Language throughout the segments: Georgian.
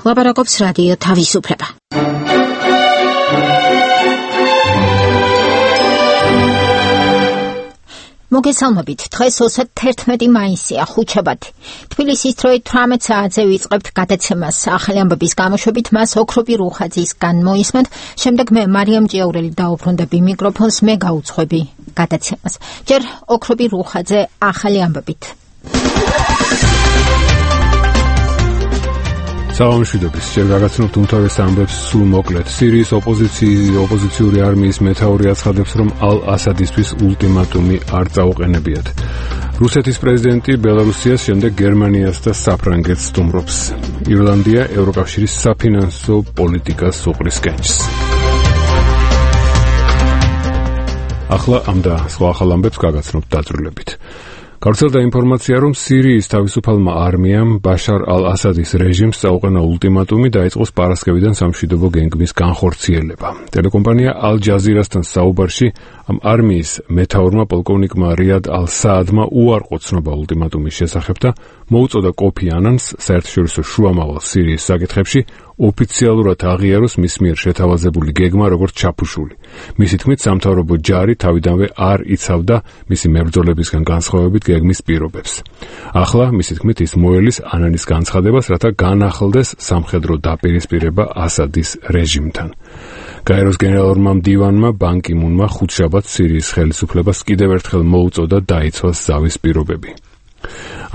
ლაპარაკობს რადიო თავისუფლება. მოგესალმებით, დღეს 31 მაისია, ხუთშაბათი. თბილისის დროით 18 საათზე ვიწყებთ გადაცემას. ახალი ამბების გამოშვებით მას ოქრობი რუხაძისგან მოისმენთ, შემდეგ მე მარიამ ჭიაურელი დაუბრუნდები მიკროფონს, მე გაუძღვები გადაცემას. ჯერ ოქრობი რუხაძე ახალი ამბებით. საღამოშვიდობის, ჯერ გაგაცნობთ უმთავრეს ამბებს სულ მოკლედ. სირიის ოპოზიციური არმიის მეთაური აცხადებს, რომ ალ-ასადისთვის ულტიმატუმი არ წაუყენებიათ. რუსეთის პრეზიდენტი ბელარუსიას, შემდეგ გერმანიას და საფრანგეთს სტუმრობს. ირლანდია ევროკავშირის საფინანსო პოლიტიკას უყრის კენჭს. ახლა ამ და სხვა ახალ ამბებს გაგაცნობთ დაწვრილებით. გავრცელდა ინფორმაცია, რომ სირიის თავისუფალმა არმიამ ბაშარ ალ-ასადის რეჟიმს წაუყენა ულტიმატუმი დაიწყოს პარასკევიდან სამშვიდობო გეგმის განხორციელება. ტელეკომპანია ალ-ჯაზირასთან საუბარში ამ არმიის მეთაურმა პოლკოვნიკმა რიად ალ-საადმა უარყო ცნობა ულტიმატუმის შესახებ და მოუწოდა კოფი ანანს საერთაშორისო შუამავალ სირიის საკითხებში ოფიციალურად აღიაროს მის მიერ შეთავაზებული გეგმა როგორც ჩაფუშული. მისი თქმით, სამთავრობო ჯარი თავიდანვე არ იცავდა მისი მებრძოლებისგან განსხვავებით გეგმის პირობებს. ახლა მისი თქმით ის მოელის ანანის განცხადებას, რათა განახლდეს სამხედრო დაპირისპირება ასადის რეჟიმთან. გაეროს გენერალურმა მდივანმა ბან კი მუნმა ხუთშაბათს სირიის ხელისუფლებას კიდევ ერთხელ მოუწოდა დაიცვას ზავის პირობები.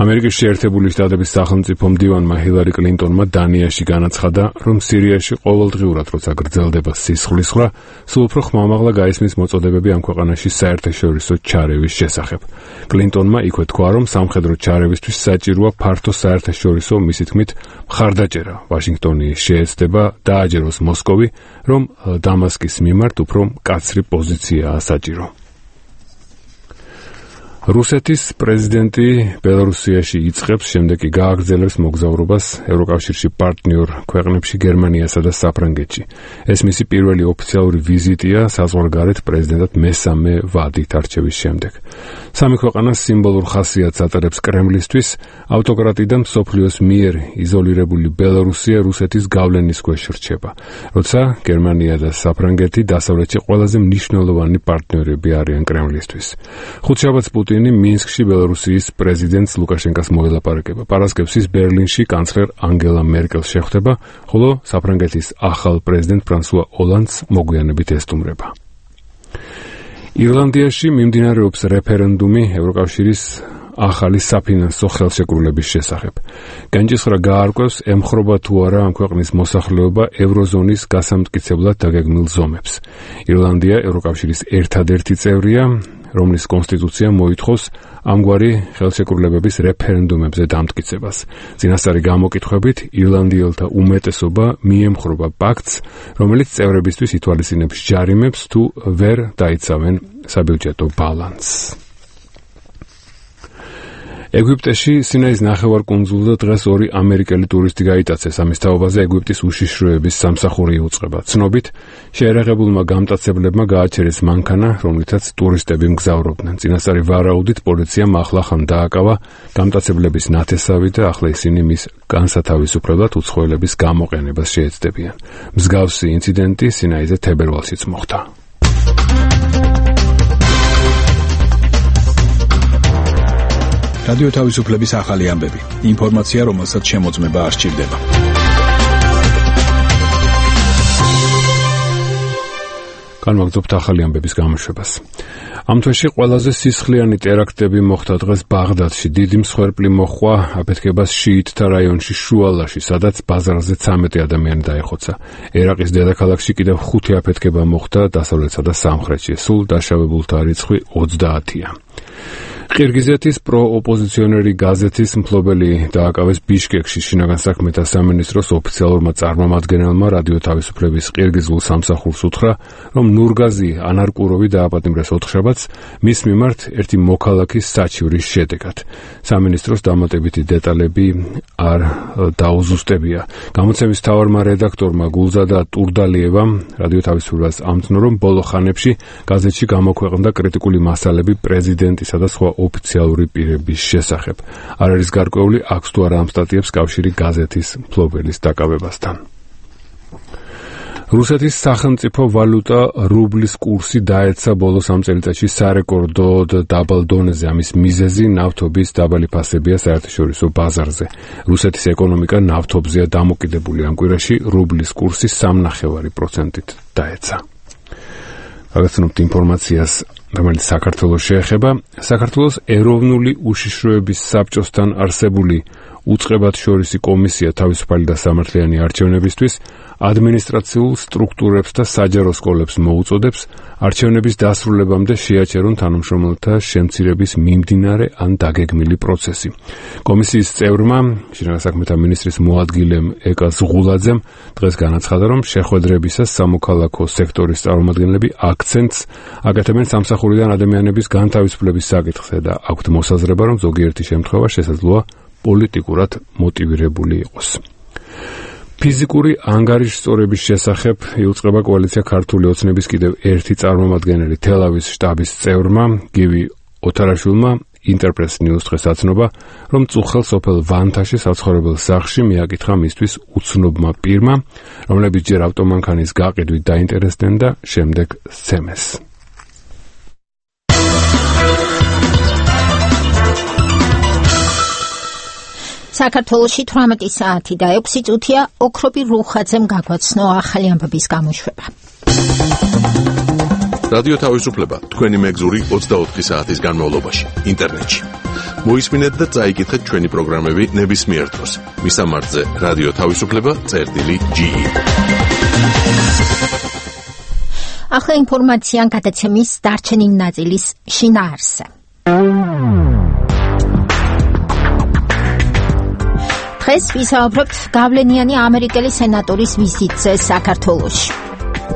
ამერიკის შეერთებული შტატების სახელმწიფო მდივანმა ჰილარი კლინტონმა დანიაში განაცხადა, რომ სირიაში ყოველდღიურად როცა გრძელდება სისხლისღვრა, სულ უფრო ხმამაღლა გაისმის მოწოდებები ამ ქვეყანაში საერთაშორისო ჩარევის შესახებ. კლინტონმა იქვე თქვა, რომ სამხედრო ჩარევისთვის საჭიროა ფართო საერთაშორისო, მისი თქმით, მხარდაჭერა. ვაშინგტონი შეეცდება დააჯეროს მოსკოვი, რომ დამასკის მიმართ უფრო მკაცრი პოზიციაა საჭირო. რუსეთის პრეზიდენტი ბელარუსიაში იწყებს, შემდეგ კი გააგრძელებს მოგზაურობას ევროკავშირში პარტნიორ ქვეყნებში გერმანიასა და საფრანგეთში. ეს მისი პირველი ოფიციალური ვიზიტია საზღვარგარეთ პრეზიდენტად მესამე ვადით არჩევის შემდეგ. სამი ქვეყანა სიმბოლურ ხასიათს ატარებს კრემლისთვის, ავტოკრატი და მსოფლიოს მიერ იზოლირებული ბელარუსია რუსეთის გავლენის ქვეშ რჩება, როცა გერმანია და საფრანგეთი დასავლეთში ყველაზე მნიშვნელოვანი პარტნიორები არიან კრემლისთვის. ხუთშაბათს პუტინი მინსკში ბელარუსიის პრეზიდენტს ლუკაშენკას მოელაპარაკება. პარასკევს ის ბერლინში კანცლერ ანგელა მერკელს შეხვდება, ხოლო საფრანგეთის ახალ პრეზიდენტ ფრანსუა ოლანდს მოგვიანებით ესტუმრება. ირლანდიაში მიმდინარეობს რეფერენდუმი ევროკავშირის ახალი საფინანსო ხელშეკრულების შესახებ. განჭისყრა გაარკვევს, ემხრობა თუ არა ამ ქვეყნის მოსახლეობა ევროზონის გასამტკიცებლად დაგეგმილ ზომებს. ირლანდია ევროკავშირის ერთადერთი წევრია, რომლის კონსტიტუცია მოითხოვს ამგვარი ხელშეკრულებების რეფერენდუმებზე დამტკიცებას. წინასწარი გამოკითხვებით ირლანდიელთა უმეტესობა მიემხრობა პაქტს, რომელიც წევრებისთვის ითვალისწინებს ჯარიმებს თუ ვერ დაიცავენ საბიუჯეტო ბალანსს. ეგვიპტეში სინაის ნახევარკუნძულზე დღეს ორი ამერიკელი ტურისტი გაიტაცეს. ამის თაობაზე ეგვიპტის უშიშროების სამსახური იუწყება. ცნობით, შეერაღებულმა გამტაცებლებმა გააჩერეს მანქანა, რომლითაც ტურისტები მგზავრობდნენ. წინასწარი ვარაუდით პოლიციამ ახლახან დააკავა გამტაცებლების ნათესავი და ახლა ისინი მის განსათავისუფლებლად უცხოელების გამოყენებას შეეცდებიან. მსგავსი ინციდენტი სინაიზე თებერვალშიც მოხდა. რადიო თავისუფლების ახალი ამბები. ინფორმაცია, რომელსაც შემოწმება არ სჭირდება. განვაგრძობთ ახალი ამბების გამოშვებას. ამ თვეში ყველაზე სისხლიანი ტერაქტები მოხდა დღეს ბაღდადში. დიდი მსხვერპლი მოჰყვა აფეთქებას შიიტთა რაიონში შუალაში, სადაც ბაზარზე 13 ადამიანი დაეხოცა. ერაყის დედაქალაქში კიდევ 5 აფეთქება მოხდა დასავლეთსა და სამხრეთში. სულ დაშავებულთა რიცხვი 30-ია. ყირგიზეთის პროოპოზიციონერი გაზეთის მფლობელი დააკავეს ბიშკეკში. შინაგან საქმეთა სამინისტროს ოფიციალურმა წარმომადგენელმა რადიო თავისუფლების ყირგიზულ სამსახურს უთხრა, რომ ნურგაზი ანარკუროვი დააპატიმრეს ოთხშაბათს მის მიმართ ერთი მოქალაქის საჩივრის შედეგად. სამინისტროს დამატებითი დეტალები არ დაუზუსტებია. გამოცემის მთავარმა რედაქტორმა გულზადა ტურდალიევამ რადიო თავისუფლებას ამცნო, რომ ბოლო ხანებში გაზეთში გამოქვეყნდა კრიტიკული მასალები პრეზიდენტისა და სხვა ოფიციალური პირების შესახებ. არ არის გარკვეული, აქვს თუ არა ამ სტატიებს კავშირი გაზეთის მფლობელის დაკავებასთან. რუსეთის სახელმწიფო ვალუტა რუბლის კურსი დაეცა ბოლოს ამ წელიწადში სარეკორდოდ დაბალ დონეზე. ამის მიზეზი ნავთობის დაბალი ფასებია საერთაშორისო ბაზარზე. რუსეთის ეკონომიკა ნავთობზეა დამოკიდებული. ამ კვირაში რუბლის კურსი 3.9%-ით დაეცა. გაგაცნობთ ინფორმაციას, რომელიც საქართველოს შეეხება. საქართველოს ეროვნული უშიშროების საბჭოსთან არსებული უწყებათშორისი კომისია თავისუფალი და სამართლიანი არჩევნებისთვის ადმინისტრაციულ სტრუქტურებს და საჯარო სკოლებს მოუწოდებს არჩევნების დასრულებამდე შეაჩერონ თანამშრომელთა შემცირების მიმდინარე ან დაგეგმილი პროცესი. კომისიის წევრმა, შინაგან საქმეთა მინისტრის მოადგილემ ეკა ზღულაძემ დღეს განაცხადა, რომ შეხვედრებისას სამოქალაქო სექტორის წარმომადგენლები აქცენტს აკეთებენ სამსახურიდან ადამიანების განთავისუფლების საკითხზე და აქვთ მოსაზრება, რომ ზოგიერთი შემთხვევა შესაძლოა პოლიტიკურად მოტივირებული იყოს. ფიზიკური ანგარიშსწორების შესახებ იუწყება კოალიცია ქართული ოცნების კიდევ ერთი წარმომადგენელი თელავის შტაბის წევრმა გივი ოთარაშვილმა ინტერპრეს ნიუს დღეს აცნობა, რომ წუხელ სოფელ ვანთაში საცხოვრებელ სახლში მიაკითხა მისთვის უცნობმა პირმა, რომლებიც ჯერ ავტომანქანის გაყიდვით დაინტერესდნენ და შემდეგ სცემეს. საქართველოში 18 საათი და 6 წუთია ოქრობი რუხაძემ გაგვაცნო ახალი ამბების გამოშვება. რადიო თავისუფლება თქვენი მეგზური 24 საათის განმავლობაში ინტერნეტში. მოისმინეთ და წაიკითხეთ ჩვენი პროგრამები ნებისმიერ დროს. მისამართზე რადიო თავისუფლება.ge. ახლა ინფორმაცია გადაცემის დარჩენილი ნაწილის შინაარსზე. დღეს ვისაუბრებთ გავლენიანი ამერიკელი სენატორის ვიზიტზე საქართველოში.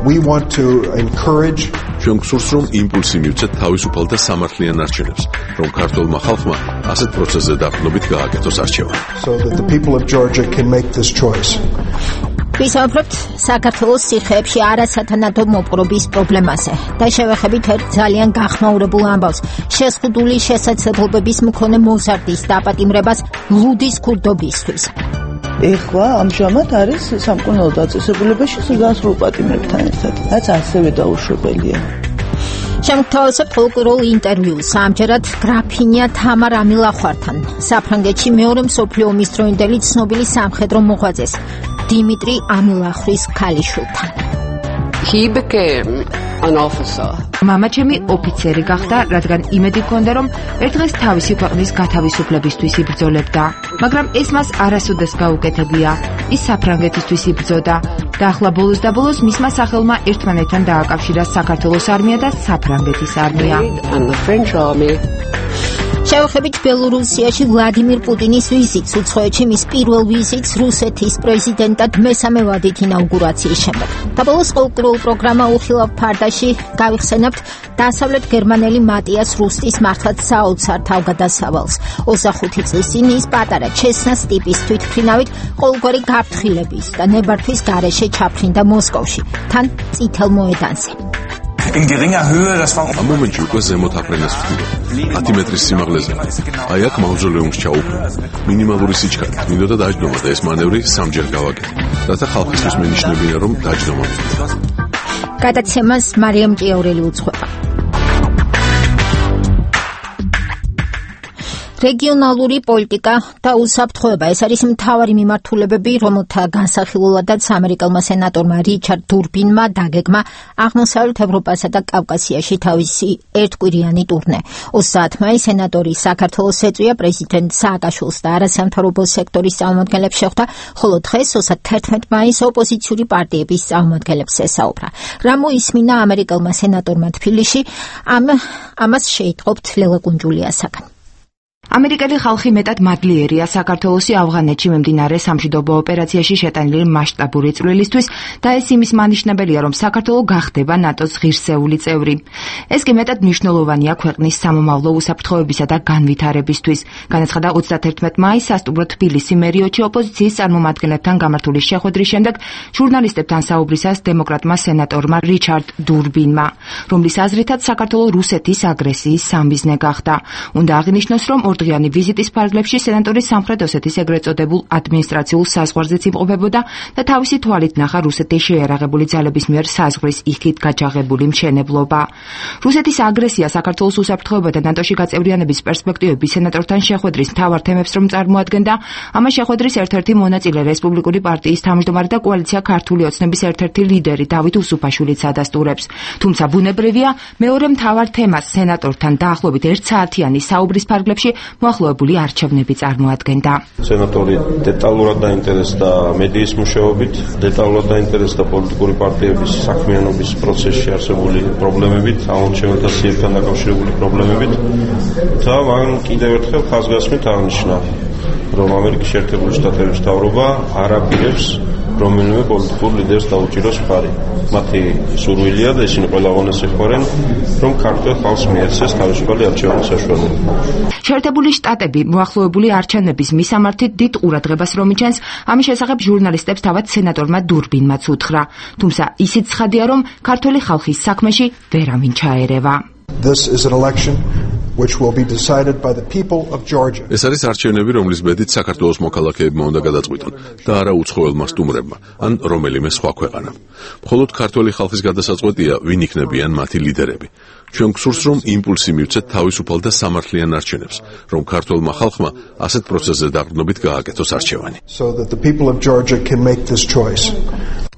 We want to encourage ჩვენ გსურს, რომ იმპულსი მივცეთ თავისუფალ და სამართლიან არჩევნებს, რომ ქართულმა ხალხმა ასეთ პროცესზე დაყრდნობით გააკეთოს არჩევანი. so that the people of Georgia can make this choice. ვისაუბრებთ საქართველოს სიხეებში არასათანადო მოპყრობის პრობლემაზე და შევეხებით ერთ ძალიან გახმაურებულ ამბავს შეზღუდული შესაძლებლობების მქონე მოზარდის დაპატიმრებას ლუდის ქურდობისთვის. ეხლა ამჟამად არის სამკურნალო დაწესებულებაში სულგანსრულ პატიმრებთან ერთად, რაც ასევე დაუშვებელია. შემგთავაზებთ ყოველკვირეულ ინტერვიუს ამჯერად გრაფინია თამარ ამილახვართან, საფრანგეთში მეორე მსოფლიო ომის დროინდელი ცნობილი სამხედრო მოღვაწეს დიმიტრი ამილახვის ქალიშვილთან. He became an officer. მამაჩემი ოფიცერი გახდა, რადგან იმედი ჰქონდა, რომ ერთ დღეს თავისი ქვეყნის გათავისუფლებისთვის იბრძოლებდა. მაგრამ ეს მას არასოდეს გაუკეთებია. ის საფრანგეთისთვის იბრძოდა და ახლა ბოლოს და ბოლოს მისმა სახელმა ერთმანეთთან დააკავშირა საქართველოს არმია და საფრანგეთის არმია. And the French army. შევეხებით ბელორუსიაში ვლადიმირ პუტინის ვიზიტს, უცხოეთში მის პირველ ვიზიტს რუსეთის პრეზიდენტად მესამე ვადით ინაუგურაციის შემდეგ. და ბოლოს ყოველკვირეულ პროგრამა უხილავ ფარდაში გავიხსენებთ დასავლეთ გერმანელი მატიას რუსტის მართლაც საოცარ თავგადასავალს. 25 წლის წინ ის პატარა ჩესნას ტიპის თვითმფრინავით ყოველგვარი გაფრთხილების და ნებართვის გარეშე ჩაფრინდა მოსკოვში, თან წითელ მოედანზე. In geringer Höhe, das war ამ მომენტში უკვე ზემოთ აფრენას ვხდიდა. 10 მეტრის სიმაღლეზე. აი აქ მავზოლეუმს ჩაუყრა. მინიმალური სიჩქარე. მინდოდა დაჯდომა და ეს მანევრი სამჯერ გავაკეთე. რათა ხალხისთვის მენიშნებინა, რომ დაჯდომა მივიდა. გადაცემას მარიამ ჭიაურელი უძღვება. რეგიონალური პოლიტიკა და უსაფრთხოება ეს არის მთავარი მიმართულებები, რომელთა განსახილულადაც ამერიკელმა სენატორმა რიჩარდ დურბინმა დაგეგმა აღმოსავლეთ ევროპასა და კავკასიაში თავისი ერთკვირიანი ტურნე. 30 მაისს სენატორი საქართველოს ეწვია პრეზიდენტ სააკაშვილს და არასამთავრობო სექტორის წარმომადგენლებს შეხვდა, ხოლო დღეს 31 მაისს ოპოზიციური პარტიების წარმომადგენლებს ესაუბრა. რა მოისმინა ამერიკელმა სენატორმა თბილისში, ამას შეიტყობთ ლელა კუნჯულიასაგან. ამერიკელი ხალხი მეტად მადლიერია საქართველოსი ავღანეთში მიმდინარე სამშვიდობო ოპერაციაში შეტანილი მასშტაბური წვლილისთვის და ეს იმის მანიშნებელია, რომ საქართველო გახდება ნატოს ღირსეული წევრი. ეს კი მეტად მნიშვნელოვანია ქვეყნის სამომავლო უსაფრთხოებისა და განვითარებისთვის. განაცხადა 31 მაისს სასტუმრო თბილისი მერიოჩი ოპოზიციის წარმომადგენლებთან გამართული შეხვედრის შემდეგ ჟურნალისტებთან საუბრისას დემოკრატმა სენატორმა რიჩარდ დურბინმა, რომლის აზრითაც საქართველო რუსეთის აგრესიის სამიზნე გახდა. უნდა აღინიშნოს, რომ ორდღიანი ვიზიტის ფარგლებში სენატორი სამხრეთ ოსეთის ეგრეთ წოდებულ ადმინისტრაციულ საზღვარზეც იმყოფებოდა და თავისი თვალით ნახა რუსეთის შეიარაღებული ძალების მიერ საზღვრის იქით გაჯაღებული მშენებლობა. რუსეთის აგრესია საქართველოს უსაფრთხოება და ნატოში გაწევრიანების პერსპექტივები სენატორთან შეხვედრის მთავარ თემებს რომ წარმოადგენდა, ამას შეხვედრის ერთ-ერთი მონაწილე რესპუბლიკური პარტიის თავმჯდომარე და კოალიცია ქართული ოცნების ერთ-ერთი ლიდერი დავით უსუფაშვილიც ადასტურებს. თუმცა ბუნებრივია, მეორე მთავარ თემას სენატორთან დაახლოებით 1 საათიანი საუბრის ფარგლებში მოახლოებული არჩევნები წარმოადგენდა. სენატორი დეტალურად დაინტერესდა მედიის მუშაობით, დეტალურად დაინტერესდა პოლიტიკური პარტიების საქმიანობის პროცესში არსებული პრობლემებით, ამორჩეველთა სიებთან დაკავშირებული პრობლემებით და მან კიდევ ერთხელ ხაზგასმით აღნიშნა, რომ ამერიკის შეერთებული შტატების მთავრობა არ აპირებს რომელიმე პოლიტიკურ ლიდერს დაუჭიროს მხარი. მათი სურვილია და ისინი ყველაგონეს ეხმარენ, რომ ქართულ ხალხს მიეცეს თავისუფალი არჩევნის საშუალება. შეერთებული შტატები მოახლოებული არჩევნების მისამართით დიდ ყურადღებას რომ იჩენს, ამის შესახებ ჟურნალისტებს თავად სენატორმა დურბინმაც უთხრა. თუმცა ისიც ცხადია, რომ ქართული ხალხის საქმეში ვერავინ ჩაერევა. This is an election which will be decided by the people of Georgia. ეს არის არჩევნები, რომლის ბედით საქართველოს მოქალაქეებმა უნდა გადაწყვიტონ და არა უცხოელმა სტუმრებმა ან რომელიმე სხვა ქვეყანა. მხოლოდ ქართული ხალხის გადასაწყვეტია, ვინ იქნებიან მათი ლიდერები. ჩვენ გსურს, რომ იმპულსი მივცეთ თავისუფალ და სამართლიან არჩევნებს, რომ ქართულმა ხალხმა ასეთ პროცესზე დაყრდნობით გააკეთოს არჩევანი. So that the people of Georgia can make this choice.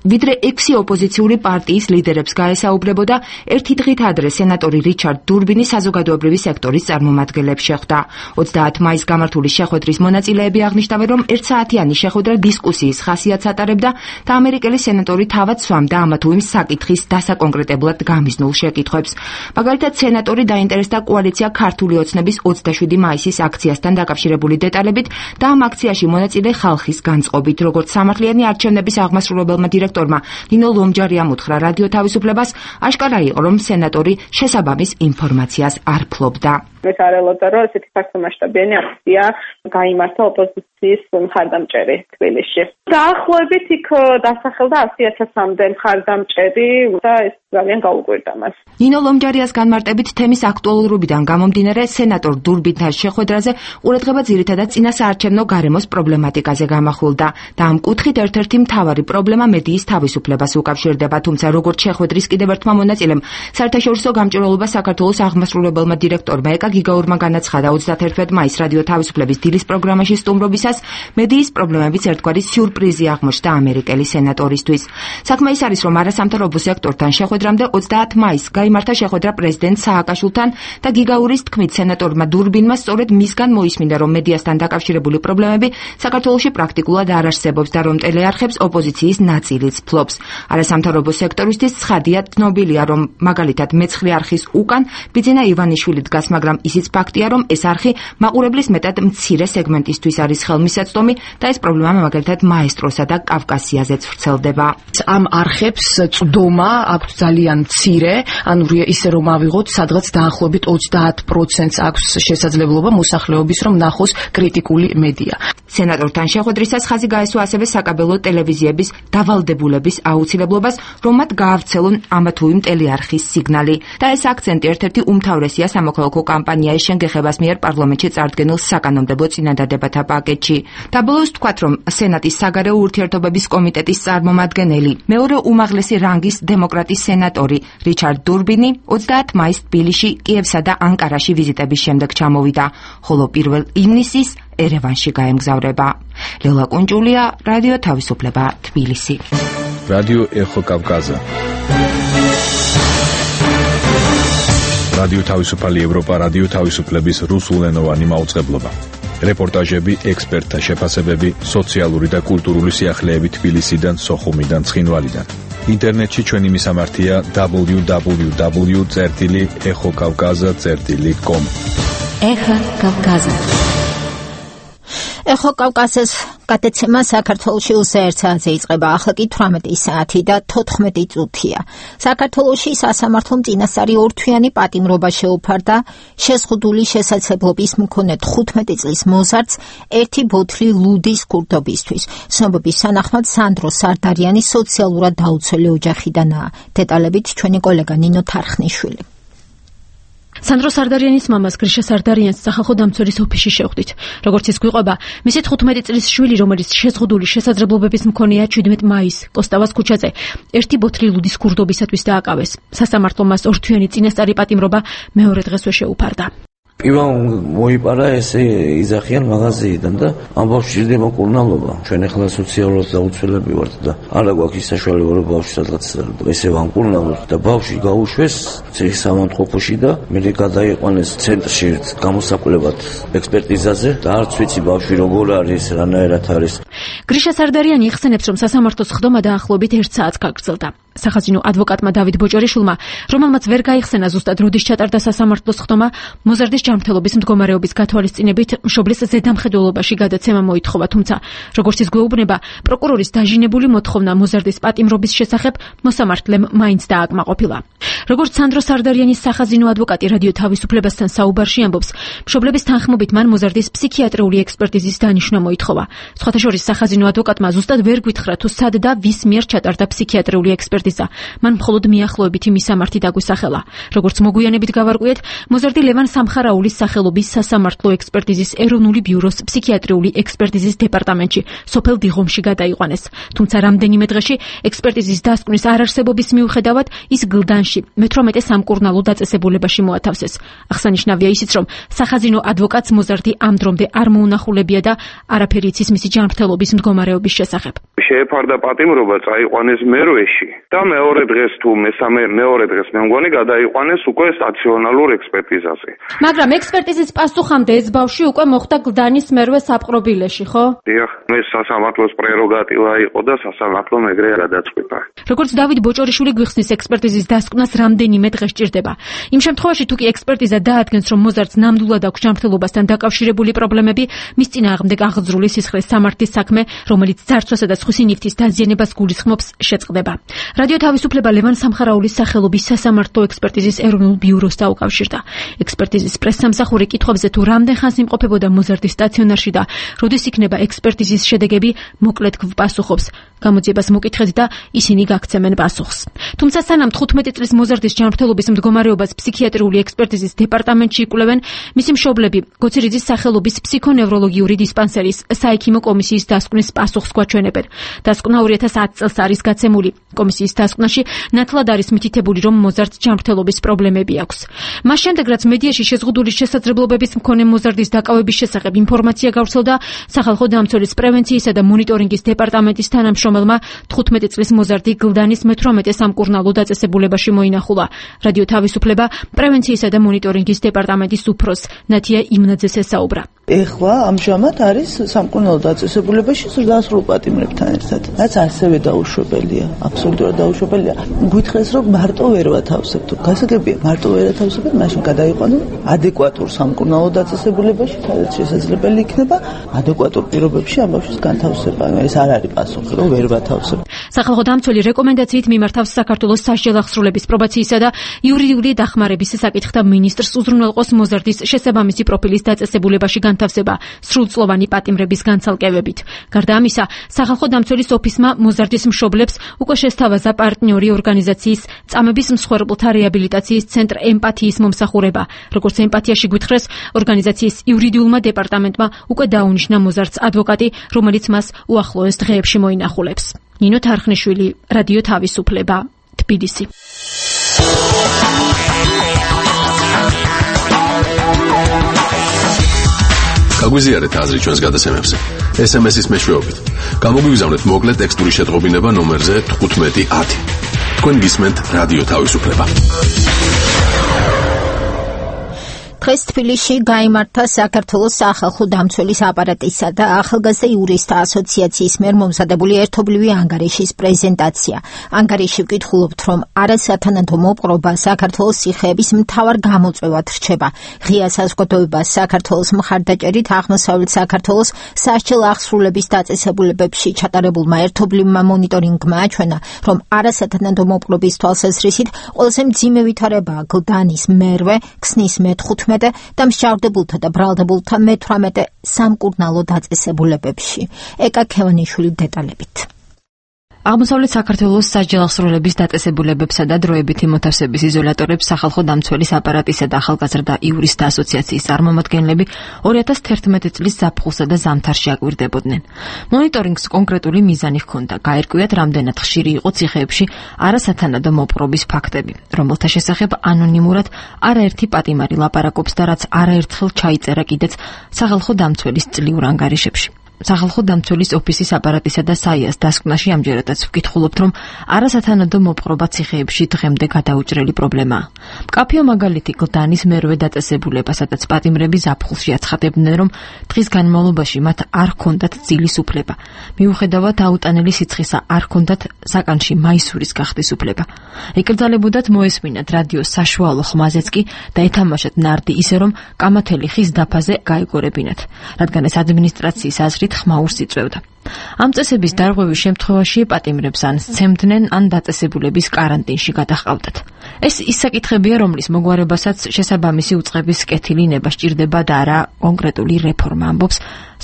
ვიდრე 6 ოპოზიციური პარტიის ლიდერებს გაესაუბრებოდა, ერთი დღით ადრე სენატორი რიჩარდ დურბინი საზოგადოებრივი სექტორის წარმომადგენლებს შეხვდა. 30 მაისს გამართული შეხვედრის მონაწილეები აღნიშნავენ, რომ 1 საათიანი შეხვედრა დისკუსიის ხასიათს ატარებდა და ამერიკელი სენატორი თავად სვამდა ამა თუ იმ საკითხის დასაკონკრეტებლად გამიზნულ შეკითხვებს. მაგალითად, სენატორი დაინტერესდა კოალიცია ქართული ოცნების 27 მაისის აქციასთან დაკავშირებული დეტალებით და ამ აქციაში მონაწილე ხალხის განწყობით, როგორც სამართლიანი არჩევნების აღმასრულებელმა დირექტორმა ნინო ლომჯარიამ უთხრა რადიო თავისუფლებას, აშკარა იყო, რომ სენატორი შესაბამის ინფორმაციას არ ფლობდა. ეს არ ელოდა, რომ ესეთი ფართომასშტაბიანი აქცია გაიმართა ოპოზიციის მხარდამჭერი თბილისში. დაახლოებით იქ დასახელდა 100,000-მდე მხარდამჭერი და ეს ძალიან გაუკვირდა მას. ნინო ლომჯარიას განმარტებით თემის აქტუალურობიდან გამომდინარე, სენატორ დურბინთან შეხვედრაზე ყურადღება ძირითადად წინასაარჩევნო გარემოს პრობლემატიკაზე გამახვილდა და ამ კუთხით ერთ-ერთი მთავარი პრობლემა მედიის თავისუფლებას უკავშირდება, თუმცა როგორც შეხვედრის კიდევ ერთმა მონაწილემ, საერთაშორისო გამჭვირვალობა საქართველოს აღმასრულებელმა დირექტორმა ეკა გიგაურმა განაცხადა 31 მაისს რადიო თავისუფლების დილის პროგრამაში სტუმრობისას, მედიის პრობლემებიც ერთგვარი სიურპრიზი აღმოჩნდა ამერიკელი სენატორისთვის. საქმე ის არის, რომ არასამთავრობო სექტორთან შეხვედრამდე 30 მაისს გაიმართა შეხვედრა პრეზიდენტ სააკაშვილთან და გიგაურის თქმით სენატორმა დურბინმა სწორედ მისგან მოისმინა, რომ მედიასთან დაკავშირებული პრობლემები საქართველოში პრაქტიკულად არ არსებობს და რომ ტელეარხებს ოპოზიციის ნაწილიც ფლობს. არასამთავრობო სექტორისთვის ცხადია, ცნობილია, რომ მაგალითად მეცხრე არხის უკან ბიძინა ივანიშვილი დგას, მაგრამ ისიც ფაქტია, რომ ეს არხი მაყურებლის მეტად მცირე სეგმენტისთვის არის ხელმისაწვდომი და ეს პრობლემა მაგალითად მაესტროსა და კავკასიაზეც ვრცელდება. ამ არხებს წვდომა აქვს ძალიან მცირე, ანუ ისე რომ ავიღოთ, სადღაც დაახლოებით 30% აქვს შესაძლებლობა მოსახლეობის რომ ნახოს კრიტიკული მედია. სენატორთან შეხვედრისას ხაზი გაესვა ასევე საკაბელო ტელევიზიების დავალდებულების აუცილებლობას, რომ მათ გაავრცელონ ამა თუ იმ ტელეარხის სიგნალი. და ეს აქცენტი ერთ-ერთი უმთავრესია სამოქალაქო კამპანიის შენგეხებას მიერ პარლამენტში წარდგენილ საკანონმდებლო წინადადებათა პაკეტში. დაბოლოოს ვთქვათ, რომ სენატის საგარეო ურთიერთობების კომიტეტის წარმომადგენელი, მეორე უმაღლესი რანგის დემოკრატის სენატორი რიჩარდ დურბინი 30 მაისს თბილისში, კიევსა და ანკარაში ვიზიტების შემდეგ ჩამოვიდა, ხოლო 1 ივნისის ერევანში გაემგზავრება. ლელა კუნჭულია, რადიო თავისუფლება, თბილისი. რადიო ეხო კავკაზა. რადიო თავისუფალი ევროპა, რადიო თავისუფლების რუსულენოვანი მაუწყებლობა. რეპორტაჟები, ექსპერტთა შეფასებები, სოციალური და კულტურული სიახლეები თბილისიდან, სოხუმიდან, ცხინვალიდან. ინტერნეტში ჩვენი მისამართია www.exokavkaza.com. Эхо Кавказа. Эхо Კავკასიის გადაცემა საქართველოში უსაერთსაათზე იწყება. ახლა კი 18 საათი და 14 წუთია. საქართველოში სასამართლომ წინასწარი ორთვიანი პატიმრობა შეუფარდა შეზღუდული შესაძლებლობის მქონე 15 წლის მოზარდს ერთი ბოთლი ლუდის ქურდობისთვის. ცნობების თანახმად სანდრო სარდარიანი სოციალურად დაუცველი ოჯახიდანაა. დეტალებით ჩვენი კოლეგა ნინო თარხნიშვილი. სანდრო სარდარიანის მამას გრიშა სარდარიანს სახალხო დამცველის ოფისში შევხვდით. როგორც ის გვიყვება, მისი 15 წლის შვილი, რომელიც შეზღუდული შესაძლებლობების მქონეა 17 მაისს კოსტავას ქუჩაზე, ერთი ბოთლი ლუდის ქურდობისათვის დააკავეს. სასამართლომ მას ორთვიანი წინასწარი პატიმრობა მეორე დღესვე შეუფარდა. პირველ მოიპარა ესე იძახიან მაღაზიიდან და ამ ბავშვს ჭირდება მკურნალობა. ჩვენ ახლა სოციალურად დაუცველები ვართ და არა გვაქვს ის საშუალება რომ ბავშვს სადღაც ესე ვამკურნალოთ და ბავშვი გაუშვეს ციხის სამონტყოფოში და მე გადაიყვანეს ცენტრში გამოსაკვლევად ექსპერტიზაზე და არც ვიცი ბავშვი როგორ არის, რანაირად არის. გრიშა სარდარიანი იხსენებს, რომ სასამართლოს ხდომა დაახლოებით 1 საათს გაგრძელდა. სახაზინო ადვოკატმა დავით ბოჭორიშვილმა, რომელმაც ვერ გაიხსენა ზუსტად როდის ჩატარდა სასამართლოს ხდომა, მოზარდის ჯანმრთელობის მდგომარეობის გათვალისწინებით მშობლის ზედამხედველობაში გადაცემა მოითხოვა, თუმცა როგორც ის გვეუბნება, პროკურორის დაჟინებული მოთხოვნა მოზარდის პატიმრობის შესახებ მოსამართლემ მაინც დააკმაყოფილა. როგორც სანდრო სარდარიანის სახაზინო ადვოკატი რადიო თავისუფლებასთან საუბარში ამბობს, მშობლების თანხმობით მან მოზარდის ფსიქიატრიული ექსპერტიზის დანიშვნა მოითხოვა. სხვათა შორის სახაზინო ადვოკატმა ზუსტად ვერ გითხრა თუ სად და ვის მიერ ჩატარდა ფსიქიატრიული ექსპერტიზა. მან მხოლოდ მიახლოებითი მისამართი დაგვისახელა. როგორც მოგვიანებით გავარკვიეთ, მოზარდი ლევან სამხარაულის სახელობის სასამართლო ექსპერტიზის ეროვნული ბიუროს ფსიქიატრიული ექსპერტიზის დეპარტამენტში სოფელ დიღომში გადაიყვანეს. თუმცა რამდენიმე დღეში ექსპერტიზის დასკვნის არარსებობის მიუხედავად ის გლდანში 18 სამკურნალო დაწესებულებაში მოათავსეს. აღსანიშნავია ისიც, რომ სახაზინო ადვოკატს მოზარდი ამ დრომდე არ მოუნახულებია და არაფერი იცის მისი ჯანმრთელობის მდგომარეობის შესახებ. შეეფარდა პატიმრობა წაიყვანეს მერვეში და მეორე დღეს თუ მეორე დღეს მე მგონი გადაიყვანეს უკვე სტაციონალურ ექსპერტიზაზე. მაგრამ ექსპერტიზის პასუხამდე ეს ბავშვი უკვე მოხვდა გლდანის მერვე საპყრობილეში, ხო? დიახ, ეს სასამართლოს პრეროგატივა იყო და სასამართლომ ეგრე გადაწყვიტა. როგორც დავით ბოჭორიშვილი გვიხსნის, ექსპერტიზის დასკვნას რამდენიმე დღე სჭირდება. იმ შემთხვევაში თუ კი ექსპერტიზა დაადგენს, რომ მოზარდს ნამდვილად აქვს ჯანმრთელობასთან დაკავშირებული პრობლემები, მის წინააღმდეგ აღძრული სისხლის სამართლის საქმე, რომელიც ძარცვასა და სხვისი ნივთის დაზიანებას გულისხმობს, შეწყდება. რადიო თავისუფლება ლევან სამხარაულის სახელობის სასამართლო ექსპერტიზის ეროვნულ ბიუროს დაუკავშირდა. ექსპერტიზის პრესსამსახური კითხვებზე თუ რამდენ ხანს იმყოფებოდა მოზარდი სტაციონარში და როდის იქნება ექსპერტიზის შედეგები, მოკლედ გვპასუხობს. გამოძიებას მოკითხეთ და ისინი გაგცემენ პასუხს. თუმცა სანამ 15 წლის მოზარდის ჯანმრთელობის მდგომარეობას ფსიქიატრიული ექსპერტიზის დეპარტამენტში იკვლევენ, მისი მშობლები გოცირიძის სახელობის ფსიქონევროლოგიური დისპანსერის საექიმო კომისიის დასკვნის პასუხს გვაჩვენებენ. დასკვნა 2010 წელს არის გაცემული. კომისიის დასკვნაში ნათლად არის მითითებული, რომ მოზარდს ჯანმრთელობის პრობლემები აქვს. მას შემდეგ, რაც მედიაში შეზღუდული შესაძლებლობების მქონე მოზარდის დაკავების შესახებ ინფორმაცია გავრცელდა, სახალხო დამცველის პრევენციისა და მონიტორინგის დეპარტამენტის თანამშრომელმა 15 წლის მოზარდი გლდანის 18 სამკურნალო დაწესებულებაში მოინახულა. რადიო თავისუფლება პრევენციისა და მონიტორინგის დეპარტამენტის უფროს ნათია იმნაძეს ესაუბრა. ეხლა ამჟამად არის სამკურნალო დაწესებულებაში ზრდასრულ პატიმრებთან ერთად. რაც ასევე დაუშვებელია, აბსოლუტურად დაუშვებელია. გითხრეს, რომ მარტო ვერ ვათავსებთ. გასაგებია, მარტო ვერ ათავსებთ, მაშინ გადაიყვანონ ადეკვატურ სამკურნალო დაწესებულებაში, სადაც შესაძლებელი იქნება ადეკვატურ პირობებში ამ ბავშვის განთავსება. ეს არ არის პასუხი, რომ ვერ ვათავსებთ. სახალხო დამცველი რეკომენდაციით მიმართავს საქართველოს სასჯელ აღსრულების პრობაციისა და იურიდიული დახმარების საკითხთა მინისტრს უზრუნველყოს მოზარდის შესაბამისი პროფილის დაწესებულებაში განთავსება სრულწლოვანი პატიმრების განცალკევებით. გარდა ამისა, სახალხო დამცველის ოფისმა მოზარდის მშობლებს უკვე შესთავაზა პარტნიორი ორგანიზაციის წამების მსხვერპლთა რეაბილიტაციის ცენტრ ემპათიის მომსახურება. როგორც ემპათიაში გვითხრეს, ორგანიზაციის იურიდიულმა დეპარტამენტმა უკვე დაუნიშნა მოზარდს ადვოკატი, რომელიც მას უახლოეს დღეებში მოინახულებს. ნინო თარხნიშვილი, რადიო თავისუფლება, თბილისი. გაგვიზიარეთ აზრი ჩვენს გადაცემებზე. SMS-ის მეშვეობით. გამოგვიგზავნეთ მოკლე ტექსტური შეტყობინება ნომერზე 1510. თქვენ გისმენთ რადიო თავისუფლება. დღეს თბილისში გაიმართა საქართველოს სახალხო დამცველის აპარატისა და ახალგაზრდა იურისტთა ასოციაციის მიერ მომზადებული ერთობლივი ანგარიშის პრეზენტაცია. ანგარიში ვკითხულობთ, რომ არასათანადო მოპყრობა საქართველოს სიხეების მთავარ გამოწვევად რჩება. ღია საზოგადოება საქართველოს მხარდაჭერით აღმოსავლეთ საქართველოს სასჯელ აღსრულების დაწესებულებებში ჩატარებულმა ერთობლივმა მონიტორინგმა აჩვენა, რომ არასათანადო მოპყრობის თვალსაზრისით ყველაზე მძიმე ვითარებაა გლდანის მერვე, ქსნის მე-15 და მსჯავრდებულთა და ბრალდებულთა მე-18 სამკურნალო დაწესებულებებში. ეკა ქევანიშვილი დეტალებით. აღმოსავლეთ საქართველოს სასჯელ აღსრულების დაწესებულებებსა და დროებითი მოთავსების იზოლატორებს სახალხო დამცველის აპარატისა და ახალგაზრდა იურისტთა ასოციაციის წარმომადგენლები 2011 წლის ზაფხულსა და ზამთარში აკვირდებოდნენ. მონიტორინგს კონკრეტული მიზანი ჰქონდა. გაერკვიათ, რამდენად ხშირი იყო ციხეებში არასათანადო მოპყრობის ფაქტები, რომელთა შესახებ ანონიმურად არაერთი პატიმარი ლაპარაკობს და რაც არაერთხელ ჩაიწერა კიდეც სახალხო დამცველის წლიურ ანგარიშებში. სახალხო დამცველის ოფისის აპარატისა და საიას დასკვნაში ამჯერადაც ვკითხულობთ, რომ არასათანადო მოპყრობა ციხეებში დღემდე გადაუჭრელი პრობლემაა. მკაფიო მაგალითი გლდანის მერვე დაწესებულება, სადაც პატიმრები ზაფხულში აცხადებდნენ, რომ დღის განმავლობაში მათ არ ჰქონდათ ძილის უფლება. მიუხედავად აუტანელი სიცხისა არ ჰქონდათ საკანში მაისურის გახდის უფლება. ეკრძალებოდათ მოესმინათ რადიოს საშუალო ხმაზეც კი და ეთამაშათ ნარდი ისე, რომ კამათელი ხის დაფაზე გაეგორებინათ, რადგან ეს ადმინისტრაციის აზრით ხმაურს იწვევდა. ამ წესების დარღვევის შემთხვევაში პატიმრებს ან სცემდნენ, ან დაწესებულების კარანტინში გადაჰყავდათ. ეს ის საკითხებია, რომლის მოგვარებასაც შესაბამისი უწყების კეთილინება სჭირდება და არა კონკრეტული რეფორმა, ამბობს